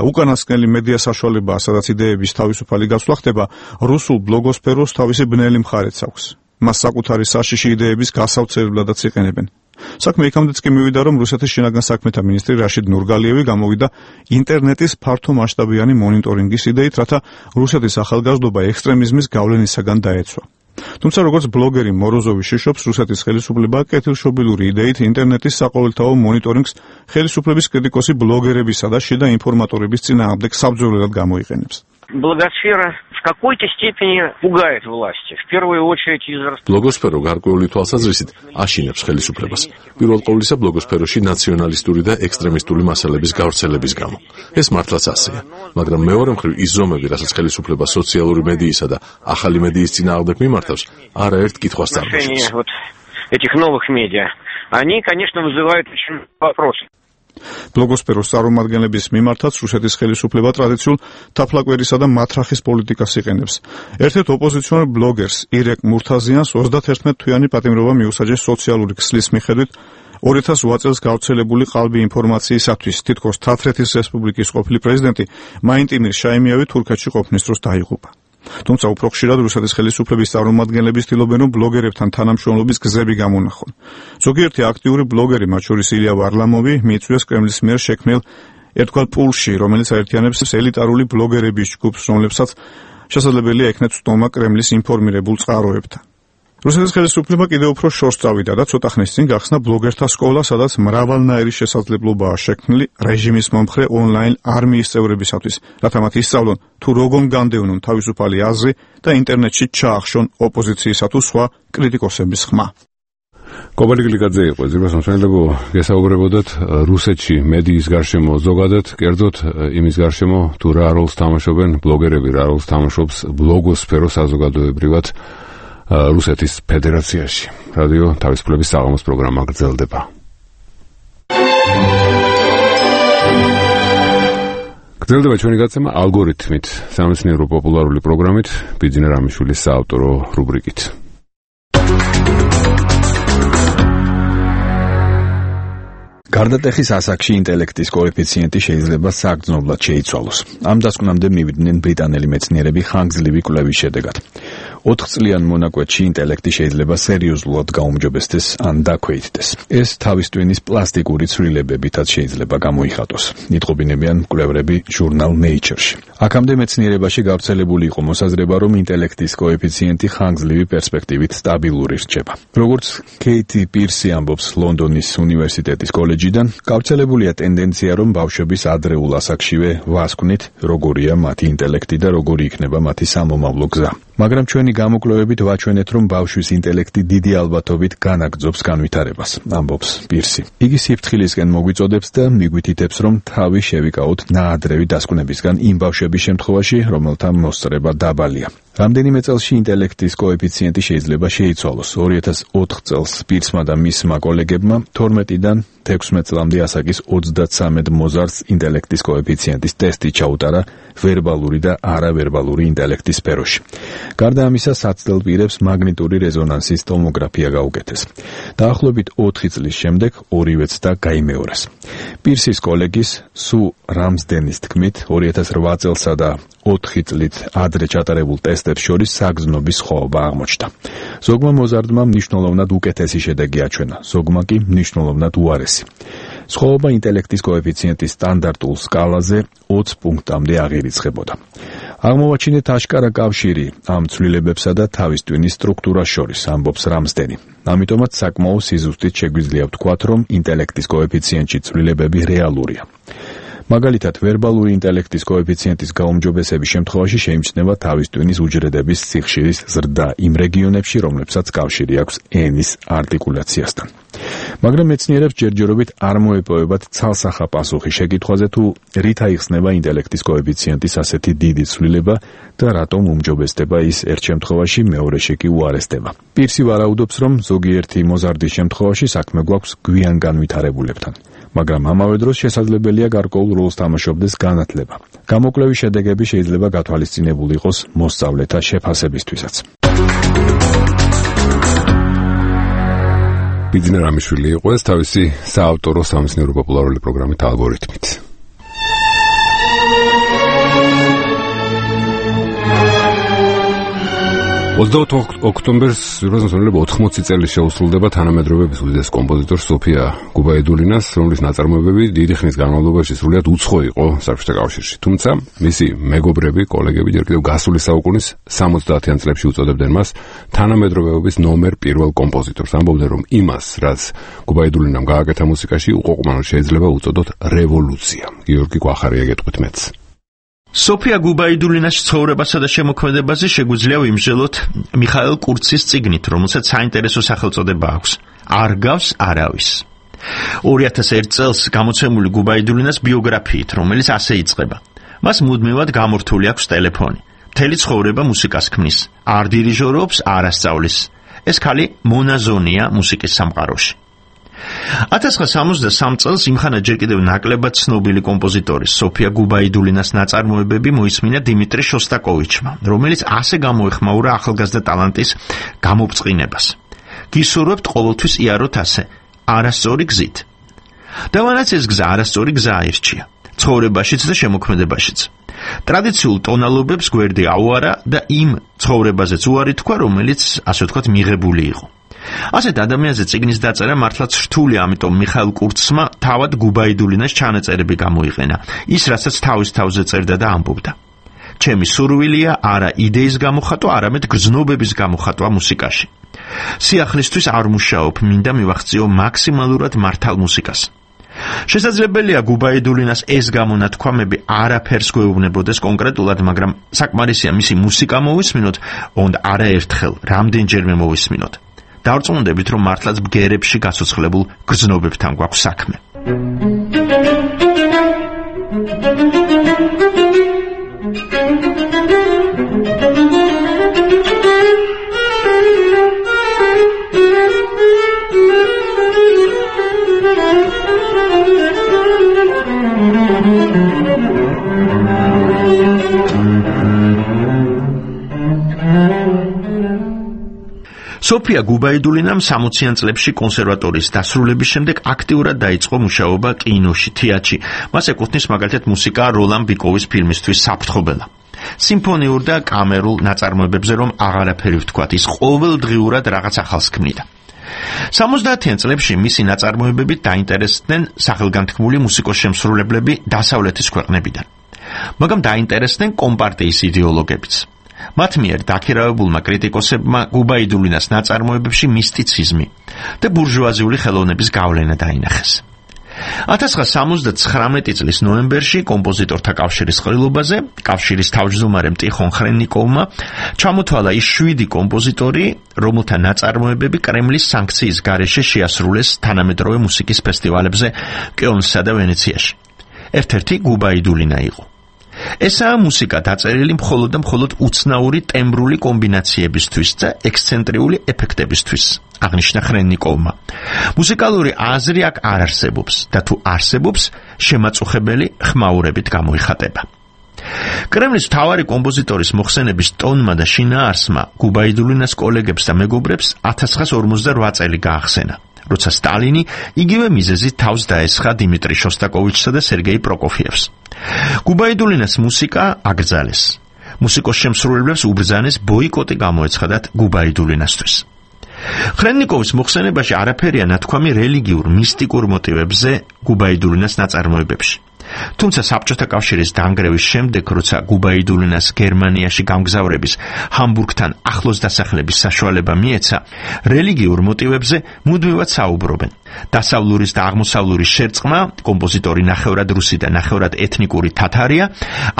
უკანასკნელი მედია საშუალებაა, სადაც იდეების თავისუფალი გაცვლა ხდება, რუსულ ბლოგოსფეროს თავისი ბნელი მხარეც აქვს. მას საკუთარი საშიში იდეების გასავრცელებადაც იყენებენ. საქმე იქამდეც კი მივიდა, რომ რუსეთის შინაგან საქმეთა მინისტრი რაშიდ ნურგალიევი გამოვიდა ინტერნეტის ფართო მასშტაბიანი მონიტორინგის იდეით, რათა რუსეთის ახალგაზრდობა ექსტრემიზმის გავლენისაგან დაეცვა. თუმცა როგორც ბლოგერი მოროზოვი შიშობს, რუსეთის ხელისუფლება კეთილშობილური იდეით ინტერნეტის საყოველთაო მონიტორინგს ხელისუფლების კრიტიკოსი ბლოგერებისა და შიდა ინფორმატორების წინააღმდეგ საბრძოლველად გამოიყენებს. Блогосфера в какой-то степени пугает власти. В первую очередь из-за... ბლოგოსფერო გარკვეული თვალსაზრისით აშინებს ხელისუფლებას. პირველ ყოვლისა ბლოგოსფეროში ნაციონალისტური და ექსტრემისტული მასალების გავრცელების გამო. ეს მართლაც ასეა, მაგრამ მეორე მხრივ ის ზომები, რასაც ხელისუფლება სოციალური მედიისა და ახალი მედიის წინააღმდეგ მიმართავს, არაერთ კითხვას წარმოშობს. Этих новых медиа, они, конечно, вызывают очень вопросы. ბლოგოსფეროს წარმომადგენლების მიმართაც რუსეთის ხელისუფლება ტრადიციულ თაფლაკვერისა და მათრახის პოლიტიკას იყენებს. ერთ-ერთ ოპოზიციონერ ბლოგერს ირეკ მურთაზიანს 31 თვიანი პატიმრობა მიუსაჯეს სოციალური ქსლის მიხედვით 2008 წელს გავრცელებული ყალბი ინფორმაციისათვის. თითქოს თათრეთის რესპუბლიკის ყოფილი პრეზიდენტი მაინტიმირ შაიმიევი თურქეთში ყოფნის დროს დაიღუპა. თუმცა უფრო ხშირად რუსეთის ხელისუფლების წარმომადგენლები ცდილობენ, რომ ბლოგერებთან თანამშრომლობის გზები გამონახონ. ზოგიერთი აქტიური ბლოგერი, მათ შორის ილია ვარლამოვი, მიიწვიეს კრემლის მიერ შექმნილ ერთგვარ პულში, რომელიც აერთიანებს ელიტარული ბლოგერების ჯგუფს, რომლებსაც შესაძლებელია ექნათ ცნობა კრემლის ინფორმირებულ წყაროებთან. რუსეთის ხელისუფლება კიდევ უფრო შორს წავიდა და ცოტა ხნის წინ გახსნა ბლოგერთა სკოლა, სადაც მრავალნაირი შესაძლებლობაა შექმნილი რეჟიმის მომხრე ონლაინ არმიის წევრებისათვის, რათა მათ ისწავლონ თუ როგორ განდევნონ თავისუფალი აზრი და ინტერნეტში ჩაახშონ ოპოზიციისა თუ სხვა კრიტიკოსების ხმა. კობალი გლიკაძე იყო ზირბას მომსახურებო გესაუბრებოდათ რუსეთში მედიის გარშემო ზოგადად, კერძოდ იმის გარშემო თუ რა როლს თამაშობენ ბლოგერები, რა როლს თამაშობს ბლოგოსფერო საზოგადოებრივად რუსეთის ფედერაციაში. რადიო თავისუფლების საღამოს პროგრამა გრძელდება. გრძელდება ჩვენი გაცემა ალგორითმით, სამეცნიერო პოპულარული პროგრამით, ბიძინა რამიშვილის საავტორო რუბრიკით. გარდატეხის ასაკში ინტელექტის კოეფიციენტი შეიძლება საგრძნობლად შეიცვალოს. ამ დასკვნამდე მივიდნენ ბრიტანელი მეცნიერები ხანგრძლივი კვლევის შედეგად. 4 წლიან მონაკვეთში ინტელექტი შეიძლება სერიოზულად გაუმჯობესდეს ან დაქვეითდეს. ეს თავის ტვინის პლასტიკური ცვლილებებითაც შეიძლება გამოიხატოს. იტყობინებიან მკვლევრები ჟურნალ Nature-ში. აქამდე მეცნიერებაში გავრცელებული იყო მოსაზრება, რომ ინტელექტის კოეფიციენტი ხანგრძლივი პერსპექტივით სტაბილური რჩება. როგორც კეითი პირსი ამბობს ლონდონის უნივერსიტეტის კოლეჯიდან, გავრცელებულია ტენდენცია, რომ ბავშვების ადრეულ ასაკშივე ვასკვნით, როგორია მათი ინტელექტი და როგორი იქნება მათი სამომავლო გზა. მაგრამ ჩვენი გამოკვლევებით ვაჩვენეთ, რომ ბავშვის ინტელექტი დიდი ალბათობით განაგრძობს განვითარებას, ამბობს პირსი. იგი სიფრთხილისკენ მოგვიწოდებს და მიგვითითებს, რომ თავი შევიკავოთ ნაადრევი დასკვნებისგან იმ ბავშვების შემთხვევაში, რომელთა მოსწრება დაბალია. რამდენიმე წელში ინტელექტის კოეფიციენტი შეიძლება შეიცვალოს. 2004 წელს პირსმა და მისმა კოლეგებმა 12-დან 16 წლამდე ასაკის 33 მოზარდს ინტელექტის კოეფიციენტის ტესტი ჩაუტარა ვერბალური და არავერბალური ინტელექტის სფეროში. გარდა ამისა, საცდელ პირებს მაგნიტური რეზონანსის ტომოგრაფია გაუკეთეს. დაახლოებით 4 წლის შემდეგ ორივე ცდა გაიმეორეს. პირსის კოლეგის სუ რამსდენის თქმით, 2008 წელსა და 4 წლით ადრე ჩატარებულ ტესტებს შორის საგრძნობის სხვაობა აღმოჩნდა. ზოგმა მოზარდმა მნიშვნელოვნად უკეთესი შედეგი აჩვენა, ზოგმა კი მნიშვნელოვნად უარესი. სხვაობა ინტელექტის კოეფიციენტის სტანდარტულ სკალაზე 20 პუნქტამდე აღირიცხებოდა. აღმოვაჩინეთ აშკარა კავშირი ამ ცვლილებებსა და თავის ტვინის სტრუქტურას შორის, ამბობს რამსდენი. ამიტომაც საკმაო სიზუსტით შეგვიძლია ვთქვათ, რომ ინტელექტის კოეფიციენტში ცვლილებები რეალურია. მაგალითად, ვერბალური ინტელექტის კოეფიციენტის გაუმჯობესების შემთხვევაში შეიმჩნევა თავის ტვინის უჯრედების სიხშირის ზრდა იმ რეგიონებში, რომლებსაც კავშირი აქვს ენის არტიკულაციასთან. მაგრამ მეცნიერებს ჯერჯერობით არ მოეპოვებათ ცალსახა პასუხი შეკითხვაზე, თუ რით აიხსნება ინტელექტის კოეფიციენტის ასეთი დიდი ცვლილება და რატომ უმჯობესდება ის ერთ შემთხვევაში, მეორეში კი უარესდება. პირსი ვარაუდობს, რომ ზოგიერთი მოზარდის შემთხვევაში საქმე გვაქვს გვიან განვითარებულებთან. მაგრამ ამავე დროს შესაძლებელია გარკვეულ როლს თამაშობდეს განათლება. გამოკვლევის შედეგები შეიძლება გათვალისწინებული იყოს მოსწავლეთა შეფასებისთვისაც. ბიძინა რამიშვილი იყო ეს თავისი საავტორო სამეცნიერო პოპულარული პროგრამით ალგორითმით. 28 ოქტომბერს 1980 წელი შეუსრულდება თანამედროვეების უდიდეს კომპოზიტორ სოფია გუბაიდულინას, რომლის ნაწარმოებები დიდი ხნის განმავლობაში სრულიად უცხო იყო საბჭოთა კავშირში. თუმცა მისი მეგობრები, კოლეგები ჯერ კიდევ გასული საუკუნის 70-იან წლებში უწოდებდნენ მას თანამედროვეობის ნომერ პირველ კომპოზიტორს. ამბობდნენ, რომ იმას, რაც გუბაიდულინამ გააკეთა მუსიკაში, უყოყმანოდ შეიძლება უწოდოთ რევოლუცია. გიორგი გვახარია გეტყვით მეც. სოფია გუბაიდულინას ცხოვრებასა და შემოქმედებაზე შეგვიძლია ვიმსჯელოთ მიხაილ კურცის წიგნით, რომელსაც საინტერესო სახელწოდება აქვს. არ გავს არავის. 2001 წელს გამოცემული გუბაიდულინას ბიოგრაფიით, რომელიც ასე იწყება. მას მუდმივად გამორთული აქვს ტელეფონი. მთელი ცხოვრება მუსიკას ქმნის. არ დირიჟორობს, არ ასწავლის. ეს ქალი მონაზონია მუსიკის სამყაროში. 1963 წელს იმხანა ჯერ კიდევ ნაკლებად ცნობილი კომპოზიტორის სოფია გუბაიდულინას ნაწარმოებები მოისმინა დიმიტრი შოსტაკოვიჩმა, რომელიც ასე გამოეხმაურა ახალგაზრდა ტალანტის გამობწყინებას. გისურვებთ ყოველთვის იაროთ ასე, არასწორი გზით. და მანაც ეს გზა არასწორი გზა აირჩია, ცხოვრებაშიც და შემოქმედებაშიც. ტრადიციულ ტონალობებს გვერდი აუარა და იმ ცხოვრებაზეც უარი თქვა, რომელიც, ასე ვთქვათ, მიღებული იყო. ასეთ ადამიანზე წიგნის დაწერა მართლაც რთული, ამიტომ მიხაილ კურცმა თავად გუბაიდულინას ჩანაწერები გამოიყენა, ის რასაც თავის თავზე წერდა და ამბობდა. ჩემი სურვილია არა იდეის გამოხატვა, არამედ გრძნობების გამოხატვა მუსიკაში. სიახლისთვის არ მუშაობ, მინდა მივახციო მაქსიმალურად მართალ მუსიკას. შესაძლებელია გუბაიდულინას ეს გამონათქვამები არაფერს გვეუბნებოდეს კონკრეტულად, მაგრამ საკმარისია მისი მუსიკა მოვისმინოთ, ოღონდ არაერთხელ, რამდენჯერმე მოვისმინოთ. დავწმუნდებით, რომ მართლაც ბგერებში გაცოცხლებულ გრძნობებთან გვაქვს საქმე. სოფია გუბაიდულინამ 60-იან წლებში კონსერვატორიის დასრულების შემდეგ აქტიურად დაიწყო მუშაობა კინოში, თეატრში. მას ეკუთვნის მაგალითად მუსიკა როლან ბიკოვის ფილმისთვის საფრთხობელა. სიმფონიურ და კამერულ ნაწარმოებებზე რომ აღარაფერი ვთქვათ, ის ყოველდღიურად რაღაც ახალს ქმნიდა. 70-იან წლებში მისი ნაწარმოებებით დაინტერესდნენ სახელგანთქმული მუსიკოსშემსრულებლები დასავლეთის ქვეყნებიდან. მაგრამ დაინტერესდნენ კომპარტიის იდეოლოგებიც. მათ მიერ დაქირავებულმა კრიტიკოსებმა გუბაიდულინას ნაწარმოებებში მისტიციზმი და ბურჟუაზიული ხელოვნების გავლენა დაინახეს. 1979 წლის ნოემბერში კომპოზიტორთა კავშირის ყრილობაზე, კავშირის თავმჯდომარემ ტიხონ ხრენნიკოვმა ჩამოთვალა ის 7 კომპოზიტორი, რომელთა ნაწარმოებები კრემლის სანქციის გარეშე შეასრულეს თანამედროვე მუსიკის ფესტივალებზე კელნსა და ვენეციაში. ერთ-ერთი გუბაიდულინა იყო. ესაა მუსიკა დაწერილი მხოლოდ და მხოლოდ უცნაური ტემბრული კომბინაციებისთვის და ექსცენტრიული ეფექტებისთვის, აღნიშნა ხრენნიკოვმა. მუსიკალური აზრი აქ არ არსებობს და თუ არსებობს, შემაწუხებელი ხმაურებით გამოიხატება. კრემლის მთავარი კომპოზიტორის მოხსენების ტონმა და შინაარსმა გუბაიდულინას კოლეგებს და მეგობრებს 1958 წელი გაახსენა, როცა სტალინი იგივე მიზეზით თავს დაესხა დიმიტრი შოსტაკოვიჩსა და სერგეი პროკოფიევს. გუბაიდულინას მუსიკა აკრძალეს. მუსიკოსშემსრულებლებს უბრძანეს ბოიკოტი გამოეცხადათ გუბაიდულინასთვის. ხრენნიკოვის მოხსენებაში არაფერია ნათქვამი რელიგიურ მისტიკურ მოტივებზე გუბაიდულინას ნაწარმოებებში. თუმცა საბჭოთა კავშირის დანგრევის შემდეგ, როცა გუბაიდულინას გერმანიაში გამგზავრების, ჰამბურგთან ახლოს დასახლების საშუალება მიეცა, რელიგიურ მოტივებზე მუდმივად საუბრობენ. დასავლურის და აღმოსავლურის შერწყმა, კომპოზიტორი ნახევრად რუსი და ნახევრად ეთნიკური თათარია,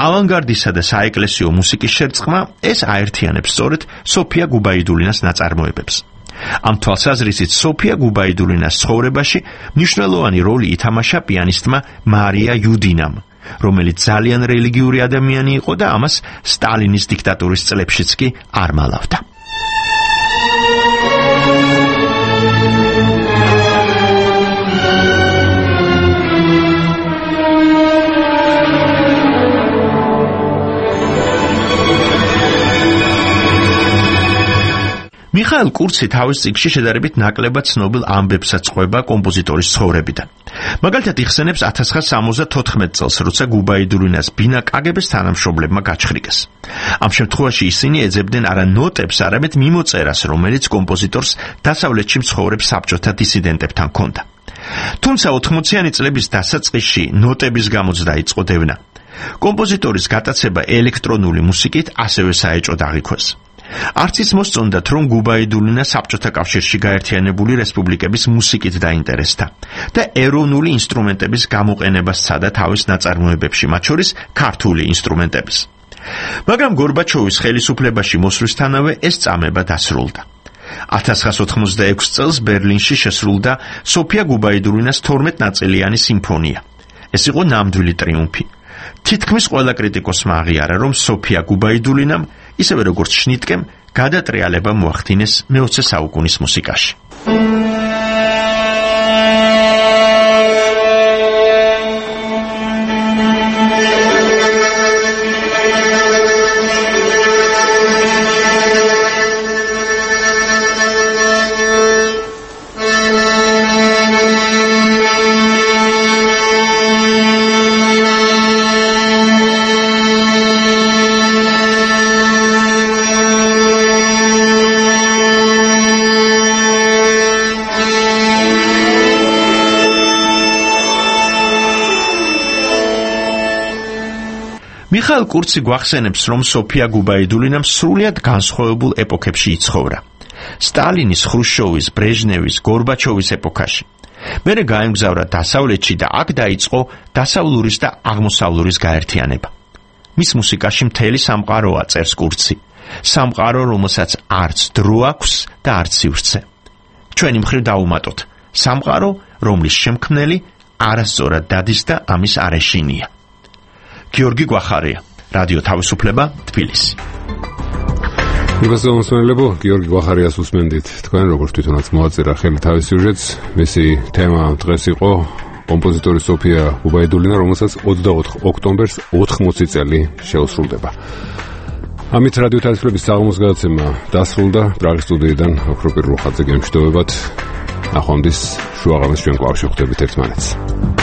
ავანგარდისა და საეკლესიო მუსიკის შერწყმა, ეს აერთიანებს სწორედ სოფია გუბაიდულინას ნაწარმოებებს. ამ თვალსაზრისით სოფია გუბაიდულინას ცხოვრებაში მნიშვნელოვანი როლი ითამაშა პიანისტმა მარია იუდინამ, რომელიც ძალიან რელიგიური ადამიანი იყო და ამას სტალინის დიქტატურის წლებშიც კი არ მალავდა. მიხაილ კურცი თავის წიგნში შედარებით ნაკლებად ცნობილ ამბებსაც ყვება კომპოზიტორის ცხოვრებიდან. მაგალითად იხსენებს 1974 წელს, როცა გუბაიდულინას ბინა კაგების თანამშრომლებმა გაჩხრიკეს. ამ შემთხვევაში ისინი ეძებდნენ არა ნოტებს, არამედ მიმოწერას, რომელიც კომპოზიტორს დასავლეთში მცხოვრებ საბჭოთა დისიდენტებთან ჰქონდა. თუმცა 80-იანი წლების დასაწყისში ნოტების გამოც დაიწყო დევნა. კომპოზიტორის გატაცება ელექტრონული მუსიკით ასევე საეჭოდ აღიქვეს. არც ის მოსწონდათ, რომ გუბაიდულინა საბჭოთა კავშირში გაერთიანებული რესპუბლიკების მუსიკით დაინტერესდა და ეროვნული ინსტრუმენტების გამოყენებას სცადა თავის ნაწარმოებებში, მათ შორის ქართული ინსტრუმენტების. მაგრამ გორბაჩოვის ხელისუფლებაში მოსვლისთანავე ეს წამება დასრულდა. 1986 წელს ბერლინში შესრულდა სოფია გუბაიდულინას 12 ნაწილიანი სიმფონია. ეს იყო ნამდვილი ტრიუმფი. თითქმის ყველა კრიტიკოსმა აღიარა, რომ სოფია გუბაიდულინამ, ისევე როგორც შნიტკემ, გადატრიალება მოახდინეს მე-20 საუკუნის მუსიკაში. მიხაილ კურცი გვახსენებს, რომ სოფია გუბაიდულინამ სრულიად განსხვავებულ ეპოქებში იცხოვრა. სტალინის, ხრუშჩოვის, ბრეჟნევის, გორბაჩოვის ეპოქაში. მერე გაემგზავრა დასავლეთში და აქ დაიწყო დასავლურის და აღმოსავლურის გაერთიანება. მის მუსიკაში მთელი სამყაროა, წერს კურცი. სამყარო, რომელსაც არც დრო აქვს და არც სივრცე. ჩვენი მხრივ დავუმატოთ. სამყარო, რომლის შემქმნელი არასწორად დადის და ამის არეშინია. გიორგი გვახარია, რადიო თავისუფლება, თბილისი. მოგესალმებო, გიორგი გვახარიას უსმენდით. თქვენ როგორც თვითონაც მოაწერა ხელი თავის სიუჟეტს, მისი თემა დღეს იყო კომპოზიტორი სოფია გუბაიდულინა, რომელსაც 24 ოქტომბერს 80 წელი შეუსრულდება. ამით რადიო თავისუფლების საღამოს გადაცემა დასრულდა. პრაღის სტუდიიდან ოქროპირ რუხაძე გემშვიდობებათ. ნახვამდის შუაღამეს ჩვენ კვლავ შევხვდებით ერთმანეთს.